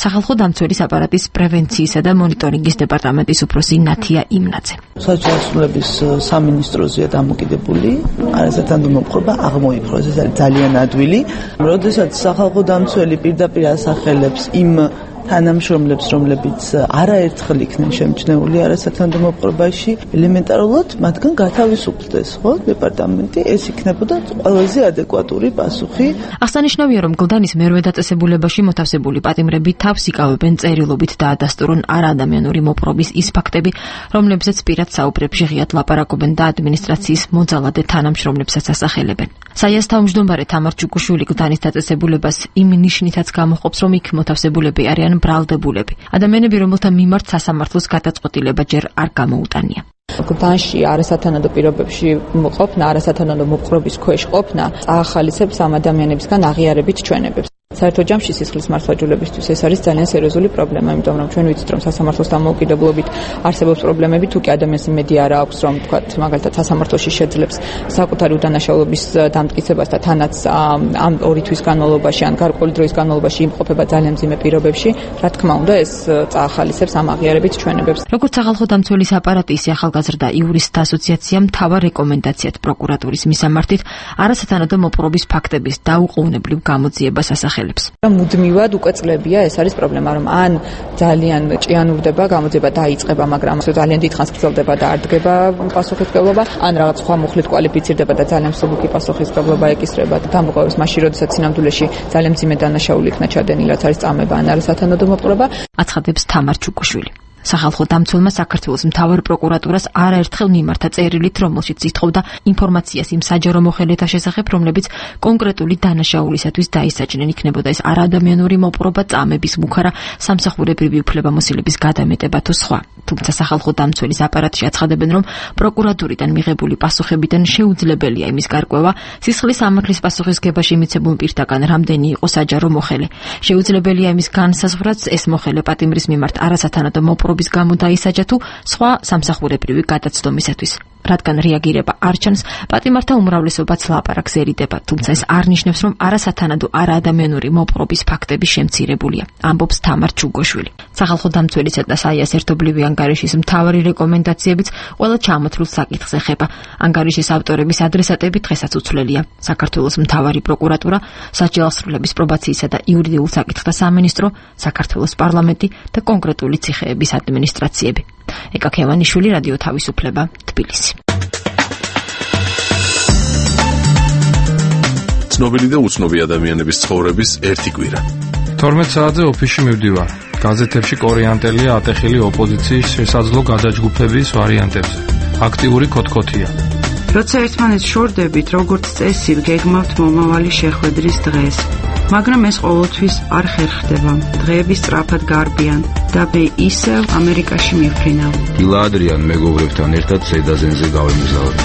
სახალხო დამცველის აპარატის პრევენციისა და მონიტორინგის დეპარტამენტის უფროსი ნათია იმნაძე. სასჯელ აღსრულების სამინისტროზეა დამოკიდებული, არასათანადო მოპყრობა აღმოიფროს, ეს არის ძალიან ადვილი. როდესაც სახალხო დამცველი პირდაპირ ასახელებს იმ თანამშრომლებს, რომლებიც არაერთხელ იქნენ შემჩნეული არასათანადო მოპყრობაში, ელემენტარულად მათგან გათავისუფლდეს, ხო, დეპარტამენტი, ეს იქნებოდა ყველაზე ადეკვატური პასუხი. აღსანიშნავია, რომ გლდანის მერვე დაწესებულებაში მოთავსებული პატიმრები თავს იკავებენ წერილობით და ადასტურონ არაადამიანური მოპყრობის ის ფაქტები, რომლებზეც პირად საუბრებში ღიად ლაპარაკობენ და ადმინისტრაციის მოძალადე თანამშრომლებსაც ასახელებენ. საიას თავმჯდომარე თამარ ჩუკუშვილი გლდანის დაწესებულებას იმ ნიშნითაც გამოჰყოფს, რომ იქ მოთავსებულები არიან ბრალდებულები. ადამიანები, რომელთა მიმართ სასამართლოს გადაწყვეტილება ჯერ არ გამოუტანია. გლდანში არასათანადო პირობებში ყოფნა, არასათანადო მოპყრობის ქვეშ ყოფნა წაახალისებს ამ ადამიანებისგან აღიარებით ჩვენებებს. საერთო ჯამში სისხლის მართლმსაჯულებისთვის ეს არის ძალიან სერიოზული პრობლემა, იმიტომ რომ ჩვენ ვიცით, რომ სასამართლოს დამოუკიდებლობით არსებობს პრობლემები, თუ კი ადამიანს იმედი არ აქვს, რომ თქვათ, მაგალითად სასამართლოში შეძლებს საკუთარი უდანაშაულობის დამტკიცებას და თანაც ამ 2 თვის განმავლობაში ან გარკვეული დროის განმავლობაში იმყოფება ძალიან მძიმე პირობებში, რა თქმა უნდა, ეს წაახალისებს ამ აღიარებით ჩვენებებს. როგორც სახალხო დამცველის აპარატი, ისე ახალგაზრდა იურისტთა ასოციაციამ მთავარ რეკომენდაციად პროკურატურის მისამართით არასათანადო მოპყრობის ფაქტების დაუყოვნებლივ გამოძიებას ასახელებს. მუდმივად უკვე წლებია ეს არის პრობლემა, რომ ან ძალიან ჭიანურდება, გამოძიება დაიწყება, მაგრამ ძალიან დიდხანს გრძელდება და არ დგება პასუხისმგებლობა, ან რაღაც სხვა მუხლით კვალიფიცირდება და ძალიან მსუბუქი პასუხისმგებლობა ეკისრება და დამოუკიდებლად მაშინ, როდესაც სინამდვილეში ძალიან მძიმე დანაშაული იქნა ჩადენილი, რაც არის წამება ან არასათანადო მოპყრობა, აცხადებს თამარ ჩუკუშვილი. სახალხო დამცველმა საქართველოს მთავარ პროკურატურას არაერთხელ მიმართა წერილით, რომელშიც ითხოვდა ინფორმაციას იმ საჯარო მოხელეთა შესახებ, რომლებიც კონკრეტული დანაშაულისათვის დაისაჯნენ, იქნებოდა ეს არაადამიანური მოპყრობა, წამების მუხარა, სამსახურებრივი უფლებამოსილების გადამეტება თუ სხვა. თუმცა სახალხო დამცველის აპარატში აცხადებენ, რომ პროკურატურიდან მიღებული პასუხებიდან შეუძლებელია იმის გარკვევა, სისხლის სამართლის პასუხისგებაში მიცემულ პირთაგან რამდენი იყო საჯარო მოხელე. შეუძლებელია იმის განსაზღვრაც, ეს მოხელე პატიმრის მიმართ არასათანადო მოპყრობის გამო დაისაჯა თუ სხვა სამსახურებრივი გადაცდომისათვის. რადგან რეაგირება არ ჩანს, პატიმართა უმრავლესობაც ლაპარაკს ერიდება, თუმცა ეს არ ნიშნავს, რომ არასათანადო არაადამიანური მოპყრობის ფაქტები შემცირებულია, ამბობს თამარ ჩუგოშვილი. სახალხო დამცველისა და საიას ერთობლივი ანგარიშის მთავარი რეკომენდაციებიც ყველა ჩამოთვლილ საკითხს ეხება. ანგარიშის ავტორების ადრესატები დღესაც უცვლელია. საქართველოს მთავარი პროკურატურა, სასჯელ აღსრულების პრობაციისა და იურიდიულ საკითხთა სამინისტრო, საქართველოს პარლამენტი და კონკრეტული ციხეების ადმინისტრაციები. ეკა ქევანიშვილი, რადიო თავისუფლება, თბილისი. ცნობილი და უცნობი ადამიანების ცხოვრების ერთი კვირა. 12 საათზე ოფისში მივდივარ. გაზეთებში კორეანტელია ატეხილი ოპოზიციის შესაძლო გადაჯგუფების ვარიანტებზე. აქტიური კოთკოთია. როცა ერთმანეთს შორდებით, როგორც წესი, გეგმავთ მომავალი შეხვედრის დღეს. მაგრამ ეს ყოველთვის არ ხერხდება. დღეები სწრაფად გარბიან და მე ისევ ამერიკაში მივფრინავ. დილა ადრიან მეგობრებთან ერთად ზედაზენზე გავემგზავრე.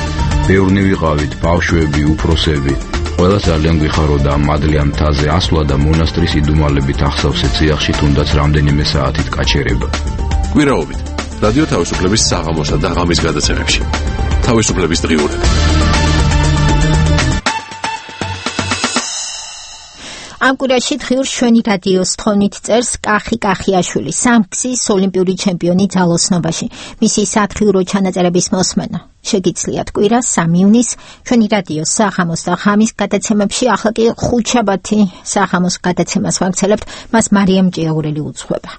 ბევრნი ვიყავით, ბავშვები, უფროსები. ყველა ძალიან გვიხაროდა ამ მადლიან მთაზე ასვლა და მონასტრის იდუმალებით ახსავსე ციახში თუნდაც რამდენიმე საათით გაჩერება. კვირაობით რადიო თავისუფლების საღამოსა და ღამის გადაცემებში. თავისუფლების დღიურები. ამ კვირაში დღიურ შვენი რადიოს თხოვნით წერს კახი კახიაშვილი, სამგზის ოლიმპიური ჩემპიონი ძალოსნობაში. მისი სათხიურო ჩანაწერების მოსმენა შეგიძლიათ კვირას 3 ივნისს ჩვენი რადიოს საღამოს და ღამის გადაცემებში. ახლა კი ხუთშაბათი საღამოს გადაცემას ვაგრძელებთ, მას მარიამ ჭიაურელი უძღვება.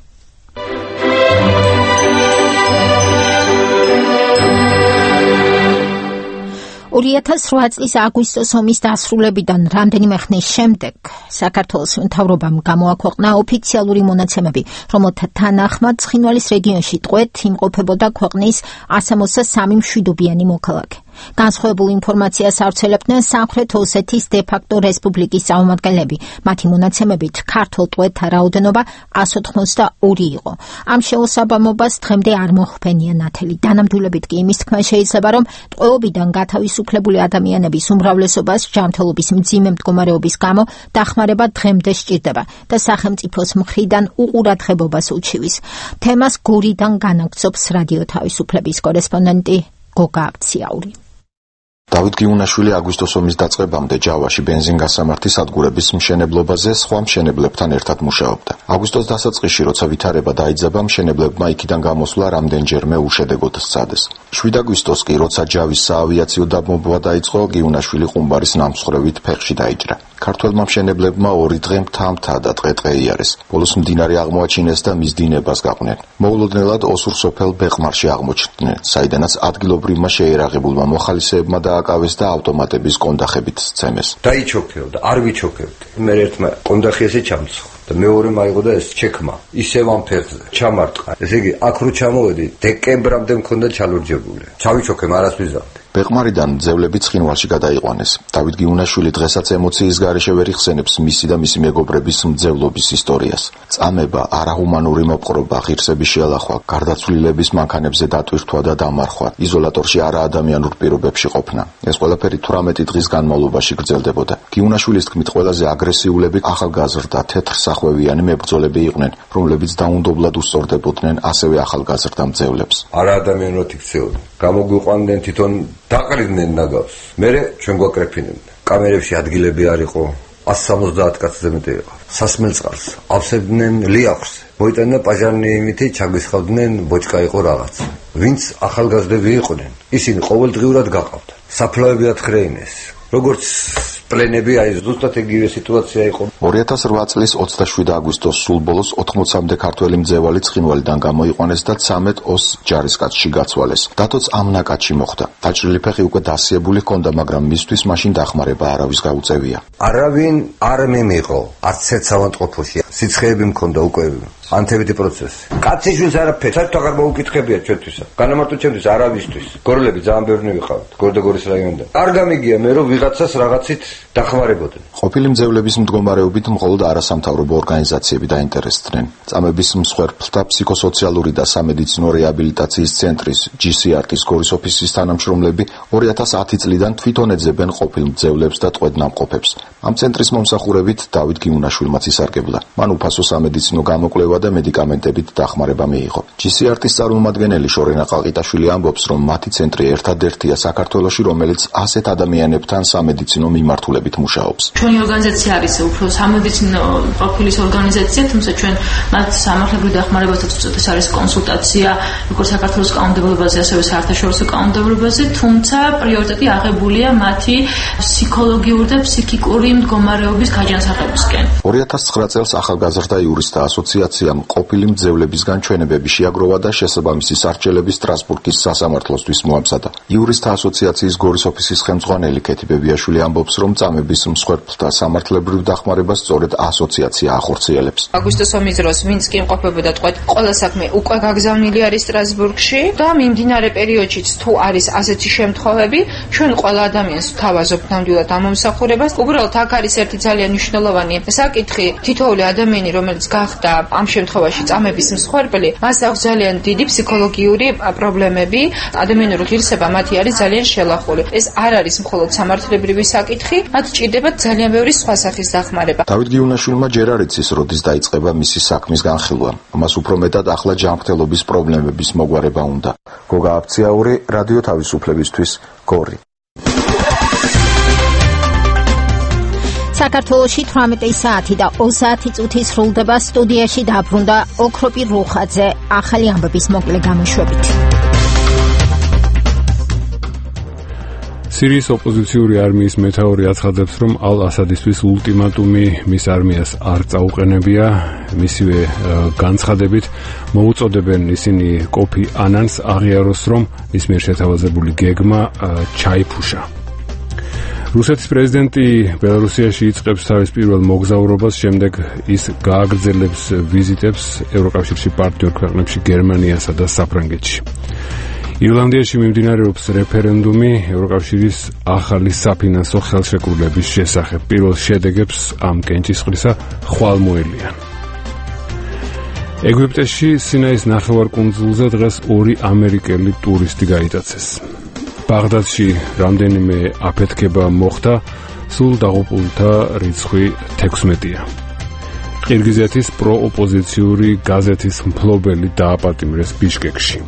2008 წლის აგვისტოს ომის დასრულებიდან რამდენიმე ხნის შემდეგ საქართველოს მთავრობამ გამოაქვეყნა ოფიციალური მონაცემები, რომელთა თანახმად ცხინვალის რეგიონში ტყვედ იმყოფებოდა ქვეყნის 163 მშვიდობიანი მოქალაქე. განსხვავებულ ინფორმაციას ავრცელებდნენ სამხრეთ ოსეთის დე-ფაქტო რესპუბლიკის წარმომადგენლები. მათი მონაცემებით ქართულ ტყვედთა რაოდენობა 182 იყო. ამ შეუსაბამობას დღემდე არ მოხმენია ნათელი. დანამდვილებით კი იმის თქმა შეიძლება, რომ ტყვეობიდან გათავისუფლებული ადამიანების უმრავლესობას ჯანმრთელობის მძიმე მდგომარეობის გამო დახმარება დღემდე სჭირდება და სახელმწიფოს მხრიდან უყურადღებობას უჩივის. თემას გორიდან განაგრძობს რადიო თავისუფლების კორესპონდენტი გოგა აბციაური. დავით გიუნაშვილი აგვისტოს ომის დაწყებამდე ჯავაში ბენზინგასამართის სადგურების მშენებლობაზე სხვა მშენებლებთან ერთად მუშაობდა. აგვისტოს დასაწყისში, როცა ვითარება დაიძაბა, მშენებლებმა იქიდან გამოსვლა რამდენჯერმე უშედეგოდ სცადეს. 7 აგვისტოს კი, როცა ჯავის საავიაციო დაბომბვა დაიწყო, გიუნაშვილი ყუმბარის ნამსხვრევით ფეხში დაიჭრა. ქართველმა მშენებლებმა 2 დღე მთა და ტყე იარეს. ბოლოს მდინარე აღმოაჩინეს და მის დინებას გაყვნენ. მოულოდნელად ოსურ სოფელ ბეყმარში აღმოჩნდნენ, საიდანაც ადგილობრივმა შეერაღებულმა მოხალისეებმა დააკავეს და ავტომატების კონდახებით სცემეს. დაიჩოქეო და არ ვიჩოქებდი. მე ერთმა კონდახი ესე ჩამცხო და მეორე მაიღო და ეს ჩექმა ისევ ამ ფეხზე ჩამარტყა. ესე იგი, აქ რო ჩამოვედი, დეკემბრამდე მქონდა ჩალურჯებული. ჩავიჩოქე, მარას ვიზავდი. ბეყმარიდან ძევლები ცხინვალში გადაიყვანეს. დავით გიუნაშვილი დღესაც ემოციის გარეშე ვერ იხსენებს მისი და მისი მეგობრების მძევლობის ისტორიას. წამება, არაჰუმანური მოპყრობა, ღირსების შეალახვა, გარდაცვლილების მანქანებზე დატვირთვა და დამარხვა, იზოლატორში არაადამიანურ პირობებში ყოფნა. ეს ყველაფერი 18 დღის განმავლობაში გრძელდებოდა. გიუნაშვილის თქმით, ყველაზე აგრესიულები ახალგაზრდა თეთრსახვევიანი მებრძოლები იყვნენ, რომლებიც დაუნდობლად უსწორდებოდნენ ასევე ახალგაზრდა მძევლებს. არაადამიანურად იქცეოდნენ. გამოგვიყვანდნენ თვითონ დაყრიდნენ ნაგავს. მერე ჩვენ გვაკრეფინებდნენ. კამერებში ადგილები არ იყო. 170 კაცზე მეტი იყო. სასმელწყალს ავსებდნენ ლიახვს. მოიტანა პაჟარნიიმითი ჩაგვისხავდნენ, ბოჭკა იყო რაღაც. ვინც ახალგაზრდები იყვნენ, ისინი ყოველდღიურად გაყავდნენ. საფლავები ათხრეინეს. როგორც პლენები, აი ზუსტად იგივე სიტუაცია იყო. 2008 წლის 27 აგვისტოს სულ ბოლოს 80-მდე ქართველი მძევალი ცხინვალიდან გამოიყვანეს და 13 ოს ჯარისკაცში გაცვალეს. დათოც ამ ნაკადში მოხვდა. დაჭრილი ფეხი უკვე დასიებული ჰქონდა, მაგრამ მისთვის მაშინ დახმარება არავის გაუწევია. არავინ არ მემიღო, არც ერთ ავადმყოფოში. სიცხეები მქონდა უკვე. ანთებითი პროცესი. კაციშვილს არაფერი, საერთოდ აღარ მოუკითხებია ჩვენთვისა. განამარტო ჩემთვის არავისთვის. გორლები ძალიან ბევრი ვიყავთ, გორდოგორის რაიონიდან. არ გამიგია მე რომ ვიღაცას რაღაცით დახმარებოდნენ. ყოფილი მძევლების მდგომარეობით მხოლოდ არასამთავრობო ორგანიზაციები დაინტერესდნენ. წამების მსხვერპლთა ფსიქოსოციალური და სამედიცინო რეაბილიტაციის ცენტრის GCRT-ის გორის ოფისის თანამშრომლები 2010 წლიდან თვითონ ეძებენ ყოფილ მძევლებს და ტყვედ-ნამყოფებს. ამ ცენტრის მომსახურებით დავით გიუნაშვილმაც ისარგებლა. მან უფასო სამედიცინო გამოკვლევა და მედიკამენტებით დახმარება მიიღო. GCRT-ის წარმომადგენელი შორენა ყალყიტაშვილი ამბობს, რომ მათი ცენტრი ერთადერთია საქართველოში, რომელიც ასეთ ადამიანებთან სამედიცინო მიმართულებით მუშაობს. ჩვენი ორგანიზაცია არის უფრო სამედიცინო პროფილის ორგანიზაცია, თუმცა ჩვენ მათ სამართლებრივ დახმარებასაც უწევთ, ეს არის კონსულტაცია, როგორც საქართველოს კანონმდებლობაზე, ასევე საერთაშორისო კანონმდებლობაზე, თუმცა პრიორიტეტი აღებულია მათი ფსიქოლოგიური და ფსიქიკური ნორმალური მდგომარეობის გაჯანსაღებისკენ. 2009 წელს ახალგაზრდა იურისტთა ასოციაციამ ყოფილი მძევლების განჩვენებები შეაგროვა და შესაბამისი სარჩელები სტრასბურგის სასამართლოსთვის მოამზადა. იურისტთა ასოციაციის გორის ოფისის ხელმძღვანელი ქეთი ბებიაშვილი ამბობს, რომ წამების მსხვერპლთა სამართლებრივ დახმარებას სწორედ ასოციაცია ახორციელებს. აგვისტოს ომის დროს ვინც კი იმყოფებოდა თქვა ყველა საქმე უკვე გაგზავნილი არის სტრასბურგში და მიმდინარე პერიოდშიც თუ არის ასეთი შემთხვევები, ჩვენ ყველა ადამიანს ვთავაზობთ ნამდვილად ამომსახურებას. უბრალოდ აქ არის ერთი ძალიან მნიშვნელოვანი საკითხი. თითოეული ადამიანი, რომელიც გახდა ამ შემთხვევაში წამების მსხვერპლი, მას აქვს ძალიან დიდი ფსიქოლოგიური პრობლემები, ადამიანური ღირსება მათი არის ძალიან შელახული. ეს არ არის მხოლოდ სამართლებრივი საკითხი, მათ ჭირდებათ ძალიან ბევრი სხვა სახის დახმარება. დავით გიუნაშვილმა ჯერ არ იცის, როდის დაიწყება მისი საქმის განხილვა. მას უფრო მეტად ახლა ჯანმრთელობის პრობლემების მოგვარება უნდა. გოგა აფციაური, რადიო თავისუფლებისთვის, გორი. საქართველოში 18 საათი და 20 წუთი სრულდება. სტუდიაში დაბრუნდა ოქროპი რუხაძე ახალი ამბების მოკლე გამოშვებით. სირიის ოპოზიციური არმიის მეთაური აცხადებს, რომ ალ-ასადისთვის ულტიმატუმი მის არმიას არ წაუყენებია. მისივე განცხადებით მოუწოდებენ ისინი კოფი ანანს აღიაროს, რომ მის მიერ შეთავაზებული გეგმა ჩაიფუშა. რუსეთის პრეზიდენტი ბელარუსიაში იწყებს თავის პირველ მოგზაურობას, შემდეგ ის გააგრძელებს ვიზიტებს ევროკავშირში პარტნიორ ქვეყნებში გერმანიასა და საფრანგეთში. ირლანდიაში მიმდინარეობს რეფერენდუმი ევროკავშირის ახალი საფინანსო ხელშეკრულების შესახებ. პირველ შედეგებს ამ კენჭისყრისა ხვალ მოელიან. ეგვიპტეში სინაის ნახევარკუნძულზე დღეს 2 ამერიკელი ტურისტი გაიტაცეს. ბაღდადში რამდენიმე აფეთქება მოხდა, სულ დაღუპულთა რიცხვი 16-ია. ყირგიზეთის პროოპოზიციური გაზეთის მფლობელი დააპატიმრეს ბიშკეკში.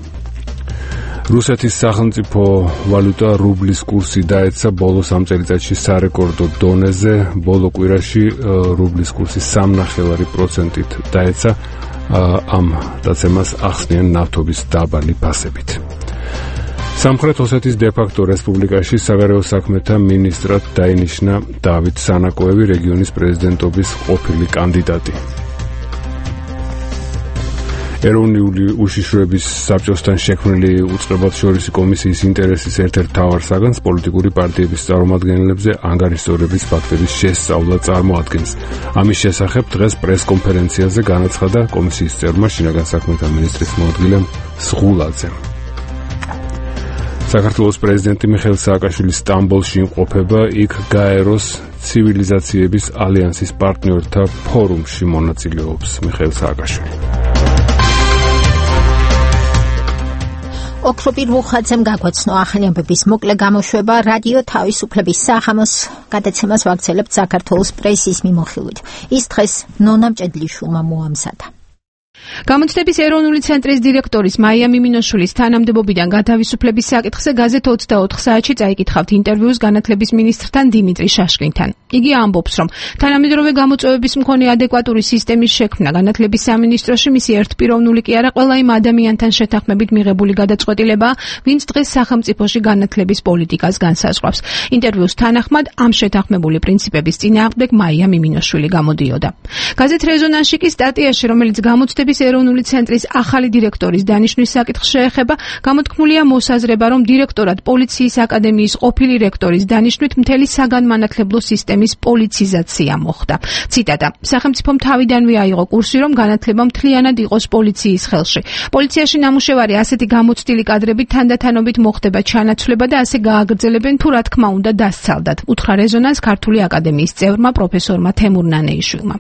რუსეთის სახელმწიფო ვალუტა რუბლის კურსი დაეცა ბოლო 3 წელიწადში სარეკორდო დონეზე. ბოლო კვირაში რუბლის კურსი 3.5%-ით დაეცა. ამ დაცემას ახსნიან ნავთობის დაბალი ფასებით. სამხრეთ ოსეთის დე-ფაქტო რესპუბლიკაში საგარეო საქმეთა მინისტრად დაინიშნა დავით სანაკოევი, რეგიონის პრეზიდენტობის ყოფილი კანდიდატი. ეროვნული უშიშროების საბჭოსთან შექმნილი უწყებათშორისი კომისიის ინტერესის ერთ-ერთ მთავარ საგანს პოლიტიკური პარტიების წარმომადგენლებზე ანგარიშსწორების ფაქტების შესწავლა წარმოადგენს. ამის შესახებ დღეს პრესკონფერენციაზე განაცხადა კომისიის წევრმა შინაგან საქმეთა მინისტრის მოადგილემ სღულაძემ. საქართველოს პრეზიდენტი მიხეილ სააკაშვილი სტამბოლში იმყოფება, იქ გაეროს ცივილიზაციების ალიანსის პარტნიორთა ფორუმში მონაწილეობს მიხეილ სააკაშვილი. ოქროპი რუხაძემ გაგვაცნო ახალი ამბების მოკლე გამოშვება. რადიო თავისუფლების სახამოს გადაცემას ვაგრძელებთ საქართველოს პრესის მიმოხილვით. ის დღეს ნონა მჭედლიშვილმა მოამზადა. გამოცდების ეროვნული ცენტრის დირექტორის მაია მიმინოშვილის თანამდებობიდან გათავისუფლების საკითხზე გაზეთ 24 საათში წაიკითხავთ ინტერვიუს განათლების მინისტრთან დიმიტრი შაშკინთან. იგი ამბობს, რომ თანამედროვე გამოწვევების მქონე ადეკვატური სისტემის შექმნა განათლების სამინისტროში მისი ერთპიროვნული კი არა, ყველა იმ ადამიანთან შეთანხმებით მიღებული გადაწყვეტილებაა, ვინც დღეს სახელმწიფოში განათლების პოლიტიკას განსაზღვრავს. ინტერვიუს თანახმად ამ შეთანხმებული პრინციპების წინააღმდეგ მაია მიმინოშვილი გამოდიოდა. გაზეთ რეზონანსში კი სტატიაში, რომელიც გამოცდების ეროვნული ცენტრის ახალი დირექტორის დანიშვნის საკითხს შეეხება, გამოთქმულია მოსაზრება, რომ დირექტორად პოლიციის აკადემიის ყოფილი რექტორის დანიშვნით მთელი საგანმანათლებლო სისტემის პოლიციზაცია მოხდა. ციტატა: სახელმწიფომ თავიდანვე აიღო კურსი, რომ განათლება მთლიანად იყოს პოლიციის ხელში. პოლიციაში ნამუშევარი ასეთი გამოცდილი კადრებით თანდათანობით მოხდება ჩანაცვლება და ასე გააგრძელებენ, თუ რა თქმა უნდა დასცალდათ. უთხრა რეზონანს ქართული აკადემიის წევრმა პროფესორმა თემურ ნანეიშვილმა.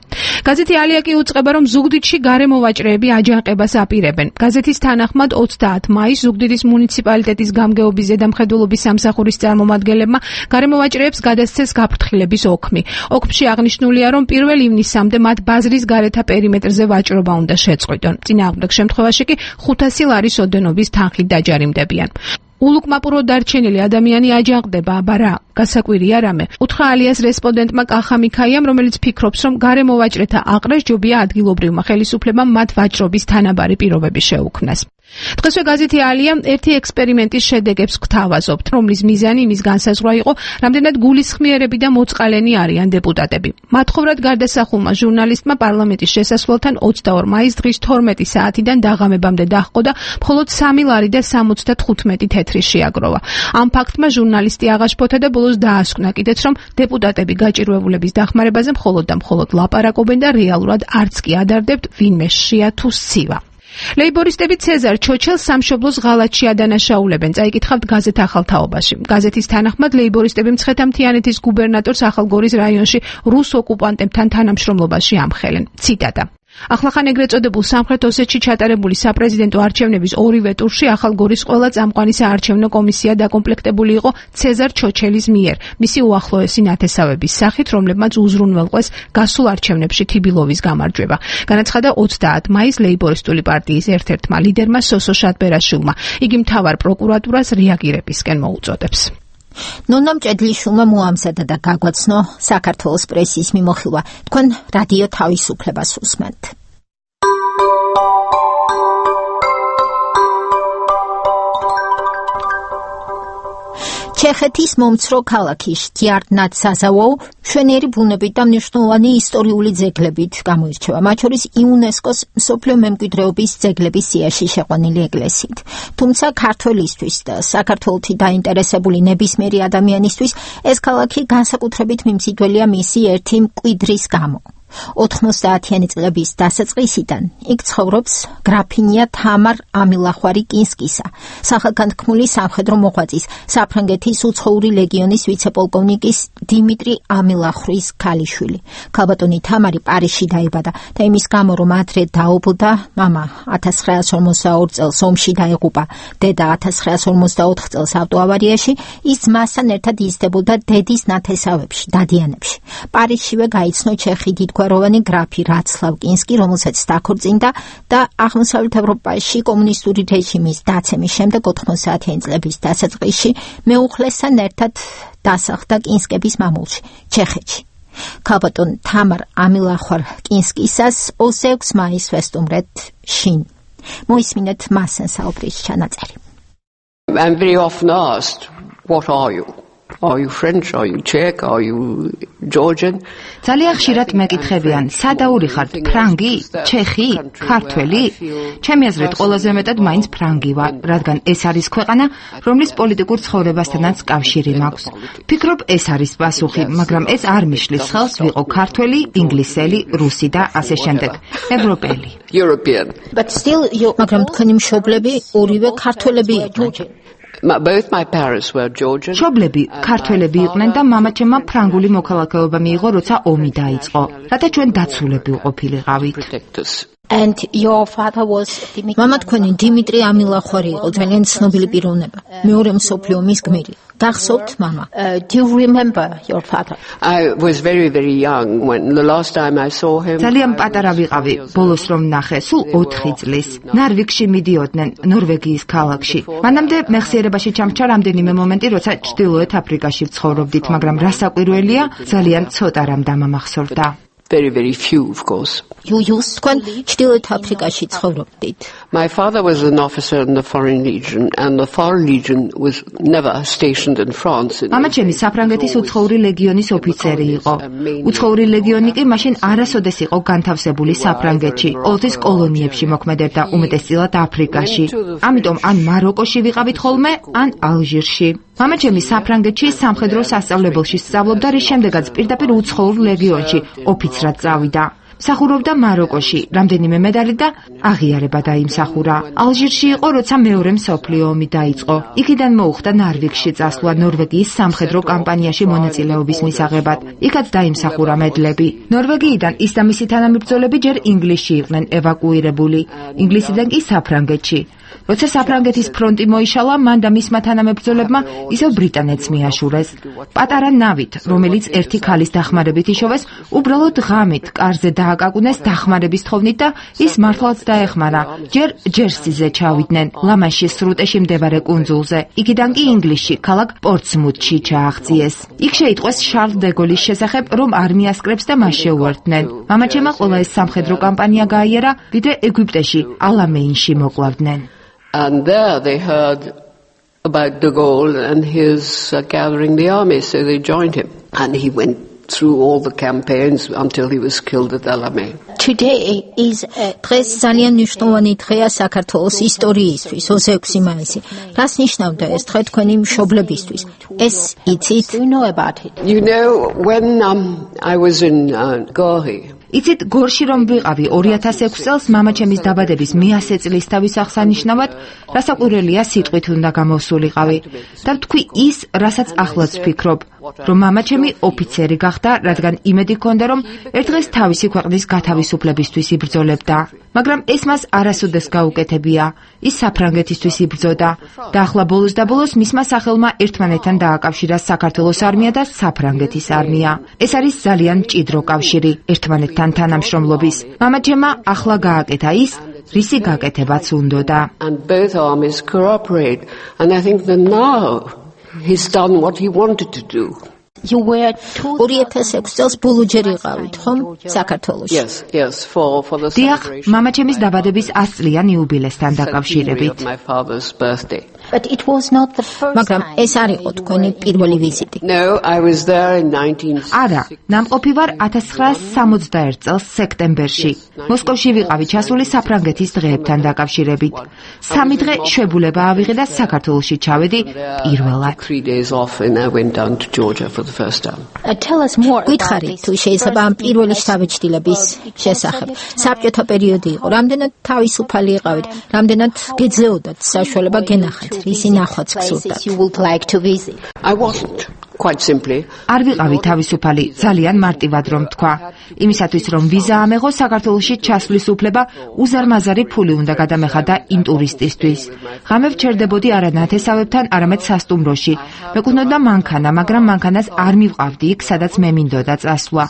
გაზეთი ალია კი უწყება, რომ ზუგდიდში გარემოვაჭრეები აჯანყებას აპირებენ. გაზეთის თანახმად 30 მაისს ზუგდიდის მუნიციპალიტეტის გამგეობის ზედამხედველობის სამსახურის წარმომადგენლებმა გარემოვაჭრეებს გადასცეს გაფრთხილების ოქმი. ოქმში აღნიშნულია, რომ 1 ივნისამდე მათ ბაზრის გარეთა პერიმეტრზე ვაჭრობა უნდა შეწყვიტონ. წინააღმდეგ შემთხვევაში კი 500 ლარის ოდენობის თანხით დაჯარიმდებიან. ულუკმაპურო დარჩენილი ადამიანი აჯანყდება, აბა რა, გასაკვირია რამე. უთხრა ალიას რესპონდენტმა კახა მიქაიამ, რომელიც ფიქრობს, რომ გარემოვაჭრეთა აყრას ჯობია ადგილობრივმა ხელისუფლებამ მათ ვაჭრობის თანაბარი პირობები შეუქმნას. დღესვე გაზეთი ალია ერთი ექსპერიმენტის შედეგებს გვთავაზობთ, რომლის მიზანი იმის განსაზღვრა იყო, რამდენად გულისხმიერები და მოწყალენი არიან დეპუტატები. მათხოვრად გარდასახულმა ჟურნალისტმა პარლამენტის შესასვლელთან 22 მაისს დღის 12 საათიდან დაღამებამდე დაჰყო და მხოლოდ 3 ლარი და 75 თეთრი შეაგროვა. ამ ფაქტმა ჟურნალისტი აღაშფოთა და ბოლოს დაასკვნა კიდეც, რომ დეპუტატები გაჭირვებულების დახმარებაზე მხოლოდ და მხოლოდ ლაპარაკობენ და რეალურად არც კი ადარდებთ ვინმე შია თუ სივა. ლეიბორისტები ცეზარ ჩოჩელს სამშობლოს ღალატში ადანაშაულებენ, წაიკითხავთ გაზეთ ახალ თაობაში. გაზეთის თანახმად ლეიბორისტები მცხეთა-მთიანეთის გუბერნატორს ახალგორის რაიონში რუს ოკუპანტებთან თანამშრომლობაში ამხელენ. ციტატა: ახლახან ეგრეთ წოდებულ სამხრეთ ოსეთში ჩატარებული საპრეზიდენტო არჩევნების ორივე ტურში ახალგორის ყველა წამყვანი საარჩევნო კომისია დაკომპლექტებული იყო ცეზარ ჩოჩელის მიერ, მისი უახლოესი ნათესავების სახით, რომლებმაც უზრუნველყვეს გასულ არჩევნებში თიბილოვის გამარჯვება. განაცხადა 30 მაისს ლეიბორისტული პარტიის ერთ-ერთმა ლიდერმა სოსო შატბერაშვილმა. იგი მთავარ პროკურატურას რეაგირებისკენ მოუწოდებს. ნონა მჭედლიშვილმა მოამზადა და გაგვაცნო საქართველოს პრესის მიმოხილვა. თქვენ რადიო თავისუფლებას უსმენთ. ჩეხეთის მომცრო ქალაქი შტიარტნად საზავოუ მშვენიერი ბუნებით და მნიშვნელოვანი ისტორიული ძეგლებით გამოირჩევა, მათ შორის იუნესკოს მსოფლიო მემკვიდრეობის ძეგლების სიაში შეყვანილი ეკლესიით. თუმცა ქართველისთვის და საქართველოში დაინტერესებული ნებისმიერი ადამიანისთვის ეს ქალაქი განსაკუთრებით მიმზიდველია მისი ერთი მკვიდრის გამო. 90-იანი წლების დასაწყისიდან იქ ცხოვრობს გრაფინია თამარ ამილახვარი კინსკისა, სახელგანთქმული სამხედრო მოღვაწის, საფრანგეთის უცხოური ლეგიონის ვიცე-პოლკოვნიკის დიმიტრი ამილახვის ქალიშვილი. ქალბატონი თამარი პარიზში დაიბადა და იმის გამო, რომ ადრე დაობლდა, მამა 1942 წელს ომში დაიღუპა, დედა 1954 წელს ავტოავარიაში, ის ძმასთან ერთად იზრდებოდა დედის ნათესავებში, დადიანებში. პარიზშივე გაიცნო ჩეხი დიდგვაროვანი გრაფი რაცლავ კინსკი, რომელსაც დაქორწინდა და აღმოსავლეთ ევროპაში კომუნისტური რეჟიმის დაცემის შემდეგ 90-იანი წლების დასაწყისში მეუღლესთან ერთად დასახლდა კინსკების მამულში, ჩეხეთში. ქალბატონ თამარ ამილახვარ კინსკისას 26 მაისს ვესტუმრეთ შინ. მოისმინეთ მასთან საუბრის ჩანაწერი. I'm very often asked, what are you? Are you French? Are you Czech? Are you Georgian? ძალიან ხშირად მეკითხებიან, სადაური ხართ, ფრანგი, ჩეხი, ქართველი? ჩემი აზრით, ყველაზე მეტად მაინც ფრანგი ვარ, რადგან ეს არის ქვეყანა, რომლის პოლიტიკურ ცხოვრებასთანაც კავშირი მაქვს. ფიქრობ, ეს არის პასუხი, მაგრამ ეს არ მიშლის ხელს ვიყო ქართველი, ინგლისელი, რუსი და ასე შემდეგ. ევროპელი. European. But still, მაგრამ თქვენი მშობლები ორივე ქართველები იყვნენ. Both my parents were Georgian. მშობლები ქართველები იყვნენ და მამაჩემმა ფრანგული მოქალაქეობა მიიღო, როცა ომი დაიწყო. რათა ჩვენ დაცულები ვყოფილიყავით. And your father was მამა თქვენი დიმიტრი ამილახვარი იყო, ძალიან ცნობილი პიროვნება. მეორე მსოფლიო ომის გმირი. გახსოვთ მამა? Do you remember your father? I was very very young when the last time I saw him. ძალიან პატარა ვიყავი, ბოლოს რომ ნახე, სულ 4 წლის. ნარვიგში მიდიოდნენ, ნორვეგიის ქალაქში. მანამდე მეხსიერებაში ჩამჩა რამდენიმე მომენტი, როცა ჩრდილოეთ აფრიკაში ვცხოვრობდით, მაგრამ რასაკვირველია, ძალიან ცოტა რამ დამამახსოვრდა. Very very few, of course. You used თქვენ ჩრდილოეთ აფრიკაში ცხოვრობდით. My father was an officer in the Foreign Legion and the Foreign Legion was never stationed in France. მამაჩემი საფრანგეთის უცხოური ლეგიონის ოფიცერი იყო. უცხოური ლეგიონი კი მაშინ არასოდეს იყო განთავსებული საფრანგეთში, ყოველთვის კოლონიებში მოქმედებდა, უმეტესწილად აფრიკაში. ამიტომ ან მაროკოში ვიყავით ხოლმე, ან ალჟირში. მამაჩემი საფრანგეთში სამხედრო სასწავლებელში სწავლობდა, რის შემდეგაც პირდაპირ უცხოურ ლეგიონში ოფიცრად წავიდა. მსახურობდა მაროკოში, რამდენიმე მედალი და აღიარება დაიმსახურა. ალჟირში იყო, როცა მეორე მსოფლიო ომი დაიწყო. იქიდან მოუხდა ნარვიგში წასვლა ნორვეგიის სამხედრო კამპანიაში მონაწილეობის მისაღებად. იქაც დაიმსახურა მედლები. ნორვეგიიდან ის და მისი თანამებრძოლები ჯერ ინგლისში იყვნენ ევაკუირებული, ინგლისიდან კი საფრანგეთში. როცა საფრანგეთის ფრონტი მოიშალა, მან და მისმა თანამებრძოლებმა ისევ ბრიტანეთს მიაშურეს. პატარა ნავით, რომელიც ერთი ქალის დახმარებით იშოვეს, უბრალოდ ღამით კარზე დააკაკუნეს დახმარების თხოვნით და ის მართლაც დაეხმარა. ჯერ ჯერსიზე ჩავიდნენ, ლა-მანშის სრუტეში მდებარე კუნძულზე. იქიდან კი ინგლისში, ქალაქ პორტსმუთში ჩააღწიეს. იქ შეიტყვეს შარლ დე გოლის შესახებ, რომ არმიას კრებს და მას შეუერთდნენ. მამაჩემმა ყველა ეს სამხედრო კამპანია გაიარა, ვიდრე ეგვიპტეში, ალამეინში მოკლავდნენ. And there they heard about de Gaulle and his gathering the army, so they joined him. And he went through all the campaigns until he was killed at Alamein. Today is დღეს ძალიან მნიშვნელოვანი დღეა საქართველოს ისტორიისთვის 26 მაისი. რას ნიშნავდა ეს დღე თქვენი მშობლებისთვის? ეს იცით? You know about it. You know, when I was in Gori. იცით, გორში რომ ვიყავი 2006 წელს მამაჩემის დაბადების 100 წლისთავის აღსანიშნავად, რასაკვირველია სიტყვით უნდა გამოვსულიყავი და ვთქვი ის, რასაც ახლაც ვფიქრობ, რომ მამაჩემი ოფიცერი გახდა, რადგან იმედი ჰქონდა, რომ ერთ დღეს თავისი ქვეყნის გათავისუფლებისთვის იბრძოლებდა. მაგრამ ეს მას არასოდეს გაუკეთებია. ის საფრანგეთისთვის იბრძოდა და ახლა ბოლოს და ბოლოს მისმა სახელმა ერთმანეთთან დააკავშირა საქართველოს არმია და საფრანგეთის არმია. ეს არის ძალიან მჭიდრო კავშირი ერთმანეთთან თანამშრომლობის. მამაჩემმა ახლა გააკეთა ის, რისი გაკეთებაც უნდოდა. And both armies cooperate. And I think that now he's done what he wanted to do. You were 2006 წელს ბულუჯერ იყავით, ხომ? საქართველოში. Yes, for the celebration. მამაჩემის დაბადების 100 წლიან იუბილესთან დაკავშირებით. My father's birthday. But it was not the first. მაგრამ ეს არ იყო თქვენი პირველი ვიზიტი. No, I was there in 1960. არა, ნამყოფი ვარ 1961 წელს სექტემბერში. მოსკოვში ვიყავი ჩასული საფრანგეთის დღეებთან დაკავშირებით. 3 დღე შვებულება ავიღე და საქართველოში ჩავედი პირველად. 3 days off and I went down to Georgia for the first time. Tell us more. გითხარით თუ შეიძლება ამ პირველი შთაბეჭდილების შესახებ. საბჭოთა პერიოდი იყო. რამდენად თავისუფალი იყავით? რამდენად გეძლეოდათ საშუალება გენახათ? Risi ნახვაც გსურდათ. You would like to visit. I wasn't. Quite simply. არ ვიყავი თავისუფალი, ძალიან მარტივად რომ თქვა. იმისათვის რომ ვიზა ამეღო საქართველოში ჩასვლის უფლება, უზარმაზარი ფული უნდა გადამეხადა იმ ტურისტისთვის. ღამე ვჩერდებოდი არა ნათესავებთან, არამედ სასტუმროში. მეკუთვნოდა მანქანა, მაგრამ მანქანას არ მივყავდი იქ, სადაც მე მინდოდა წასვლა.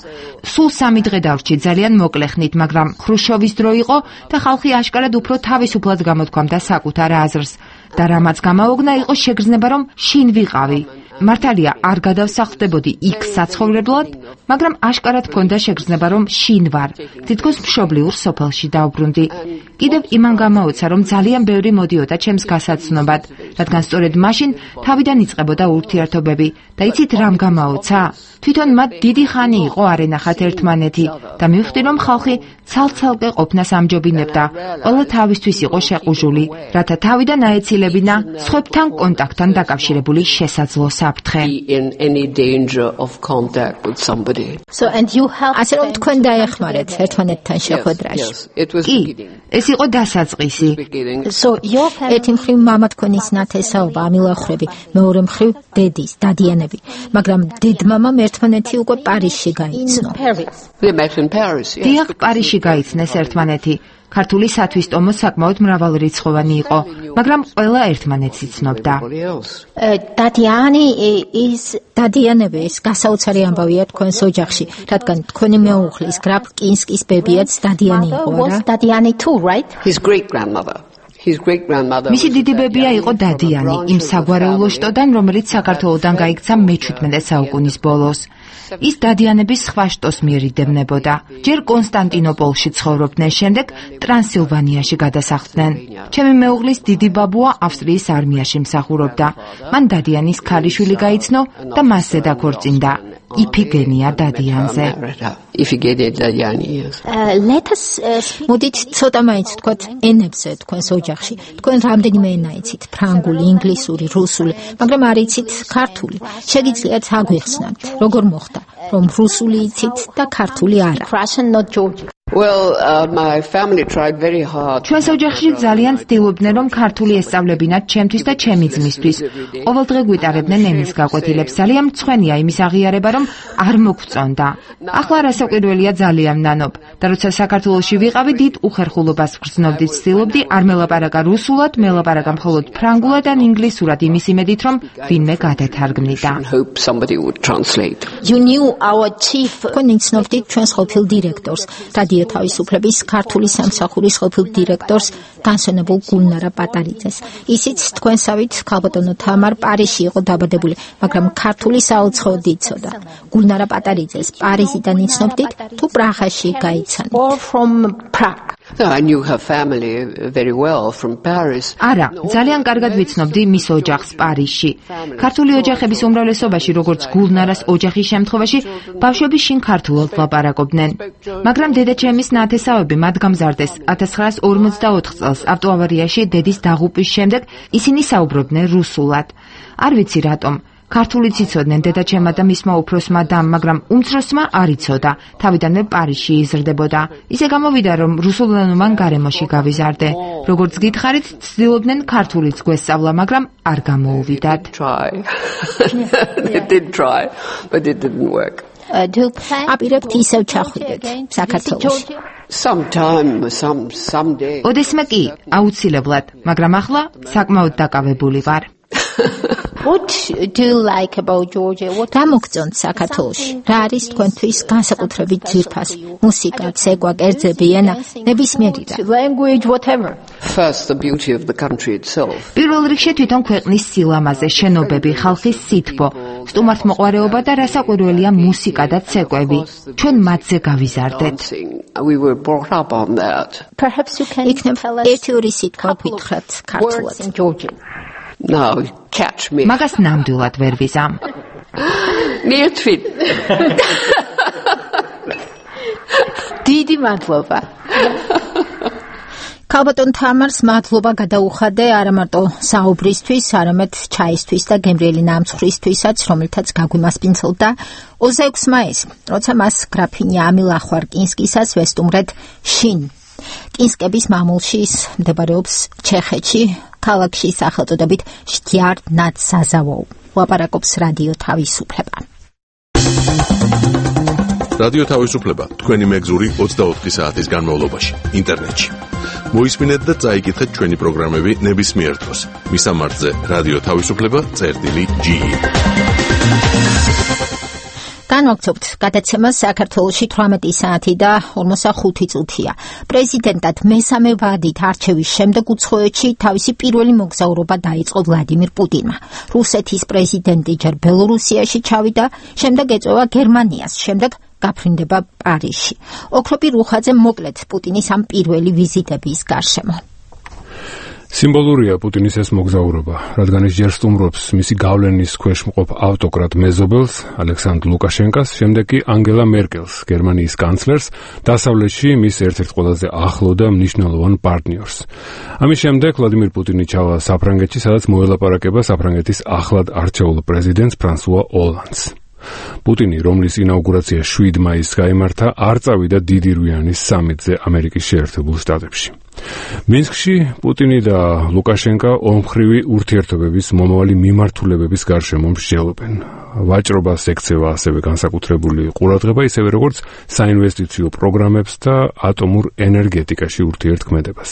სულ 3 დღე დავრჩი ძალიან მოკლე ხნით, მაგრამ ხრუშჩოვის დრო იყო და ხალხი აშკარად უფრო თავისუფლად გამოთქვამდა საკუთარ აზრს. და რამაც გამაოგნა იყო შეგრძნება რომ შინ ვიყავი. მართალია არ გადავსახლდებოდი იქ საცხოვრებლად, მაგრამ აშკარად მქონდა შეგრძნება რომ შინ ვარ. თითქოს მშობლიურ სოფელში დავბრუნდი. კიდევ იმან გამოუცა რომ ძალიან ბევრი მოდიოდა ჩემს გასაცნობად, რადგან სწორედ მაშინ თავიდან იწყებოდა ურთიერთობები. და იცით რამ გამოუცა? თვითონ მათ დიდი ხანი იყო არ ენახათ ერთმანეთი და მივხვდი რომ ხალხი ცალ-ცალკე ყოფნას ამჯობინებდა. ყველა თავისთვის იყო შეყუჟული, რათა თავიდან აეცილებინა სხვებთან კონტაქტთან დაკავშირებული შესაძლო საფრთხე. So and you help ასე რომ თქვენ დაეხმარეთ ერთმანეთთან შეხვედრაში. კი, ეს იყო დასაწყისი. So ერთი მხრივ მამა თქვენის ნათესაობა, ამილახრები, მეორე მხრივ დედის, დადიანები, მაგრამ დედმამამ ერთმანეთი უკვე პარიზში გაიცნო. დიახ, პარიზში გაიცნეს ერთმანეთი. ქართული სათვისტომო საკმაოდ მრავალრიცხოვანი იყო, მაგრამ ყველა ერთმანეთს იცნობდა. დადიანები ეს გასაოცარი ამბავია თქვენს ოჯახში, რადგან თქვენი მეუღლის გრაფ კინსკის ბებიაც დადიანი იყო, რა? დადიანი too, right? His great grandmother. მისი დიდი ბებია იყო დადიანი, იმ საგვარეულო შტოდან, რომელიც საქართველოდან გაიქცა მე-17 საუკუნის ბოლოს. ის დადიანების სხვა შტოს მიერიდებნებოდა. ჯერ კონსტანტინოპოლში ცხოვრობდნენ, შემდეგ ტრანსილვანიაში გადასახლდნენ. ჩემი მეუღლის დიდი ბაბუა ავსტრიის არმიაში მსახურობდა. მან დადიანის ქალიშვილი გაიცნო და მასზე დაქორწინდა. იფიგენია დადიანზე. მოდით ცოტა მაინც ვთქვათ ენებზე თქვენს ოჯახში. თქვენ რამდენიმე ენა იცით? ფრანგული, ინგლისური, რუსული, მაგრამ არ იცით ქართული. შეგიძლიათ აგვიხსნათ, როგორ მოხდა, რომ რუსული იცით და ქართული არა? Russian, not Georgian. Well, my family tried very hard. ჩვენს ოჯახში ძალიან ცდილობდნენ, რომ ქართული ესწავლებინათ ჩემთვის და ჩემი ძმისთვის. ყოველდღე გვიტარებდნენ ენის გაკვეთილებს. ძალიან მწვენია იმის აღიარება, რომ არ მოგწონდა. ახლა რასაკვირველია ძალიან ნანობ. და როცა საქართველოში ვიყავი, დიდ უხერხულობას ვგრძნობდი, ცდილობდი არ მელაპარაკა რუსულად, მელაპარაკა მხოლოდ ფრანგულად ან ინგლისურად, იმის იმედით, რომ ვინმე გადათარგმნიდა. You knew our chief. თქვენ იცნობდით ჩვენს ყოფილ დირექტორს. თავისუფლების ქართული სამსახურის ყოფილ დირექტორს განსვენებულ გულნარა პატარიძეს. ისიც თქვენსავით ქალბატონო თამარ პარიზში იყო დაბადებული, მაგრამ ქართული საუცხოოდ იცოდა. გულნარა პატარიძეს პარიზიდან იცნობდით თუ პრაღაში გაიცანით? I knew her family very well from Paris. არა, ძალიან კარგად ვიცნობდი მის ოჯახს პარიზში. ქართული ოჯახების უმრავლესობაში, როგორც გულნარას ოჯახის შემთხვევაში, ბავშვები შინ ქართულად ლაპარაკობდნენ. მაგრამ დედაჩემის ნათესავები მათ გამზარდეს 1944 წელს ავტოავარიაში დედის დაღუპვის შემდეგ ისინი საუბრობდნენ რუსულად. არ ვიცი რატომ. ქართულიც იცოდნენ დედაჩემა და მისმა უფროსმა დამ, მაგრამ უმცროსმა არ იცოდა. თავიდანვე პარიზში იზრდებოდა. ისე გამოვიდა, რომ რუსულენოვან გარემოში გავიზარდე. როგორც გითხარით, ცდილობდნენ ქართულიც გვესწავლა, მაგრამ არ გამოუვიდათ. They did try, but it didn't work. აპირებთ ისევ ჩახვიდეთ საქართველოში. Someday. ოდესმე კი, აუცილებლად, მაგრამ ახლა საკმაოდ დაკავებული ვარ. What do you like about Georgia? What ამოგწონთ საქართველოში? რა არის თქვენთვის განსაკუთრებით ძვირფასი? მუსიკა, ცეკვა, კერძები, ენა, ნებისმიერი რა. Language, whatever. First, the beauty of the country itself. პირველ რიგში თვითონ ქვეყნის სილამაზე, შენობები, ხალხის სითბო, სტუმართმოყვარეობა და რასაკვირველია მუსიკა და ცეკვები. ჩვენ მათზე გავიზარდეთ. We were brought up on that. Perhaps you can ერთი ორი სიტყვა გითხრათ ქართულად. Now, catch me. მაგას ნამდვილად ვერ ვიზამ. ნიეთვით. დიდი მადლობა. ქალბატონ თამარს მადლობა გადაუხადე არა მარტო საუბრისთვის, არამედ ჩაისთვის და გემრიელი ნამცხრისთვისაც, რომელთაც გაგვიმასპინძლდა 26 მაისს, როცა მას გრაფინია ამილა ხვარკინსკისას ვესტუმრეთ შინ. კინსკების მამულში მდებარეობს ჩეხეთში, ქალაქში სახელწოდებით შტიარნაცსაზავო. ლაპარაკობს რადიო თავისუფლება. რადიო თავისუფლება თქვენი მეგზური 24 საათის განმავლობაში ინტერნეტში. მოისმინეთ და წაიკითხეთ ჩვენი პროგრამები ნებისმიერ დროს. მისამართზე რადიო თავისუფლება.ge. განვაგრძობთ გადაცემას საქართველოში 18 საათი და 45 წუთია. პრეზიდენტად მესამე ვადით არჩევის შემდეგ უცხოეთში თავისი პირველი მოგზაურობა დაიწყო ვლადიმირ პუტინმა. რუსეთის პრეზიდენტი ჯერ ბელორუსიაში ჩავიდა, შემდეგ ეწევა გერმანიას, შემდეგ გაფრინდება პარიზში. ოქროპი რუხაძე მოკლედ პუტინის ამ პირველი ვიზიტების გარშემო. სიმბოლურია პუტინის ეს მოგზაურობა, რადგან ის ჯერ სტუმრობს მისი გავლენის ქვეშ მყოფ ავტოკრატ მეზობელს, ალექსანდრ ლუკაშენკას, შემდეგ კი ანგელა მერკელს, გერმანიის კანცლერს, დასავლეთში მის ერთ-ერთ ყველაზე ახლო და მნიშვნელოვან პარტნიორს. ამის შემდეგ ვლადიმირ პუტინი ჩავა საფრანგეთში, სადაც მოელაპარაკება საფრანგეთის ახლად არჩეულ პრეზიდენტს ფრანსუა ოლანდს. პუტინი, რომლის ინაუგურაცია 7 მაისს გაიმართა, არ წავიდა დიდი რვიანის სამიტზე ამერიკის შეერთებულ შტატებში. მინსკში პუტინი და ლუკაშენკა ომხრივი ურთიერთობების მომავალი მიმართულებების გარშემო მსჯელობენ. ვაჭრობას ექცევა ასევე განსაკუთრებული ყურადღება, ისევე როგორც საინვესტიციო პროგრამებს და ატომურ ენერგეტიკაში ურთიერთქმედებას.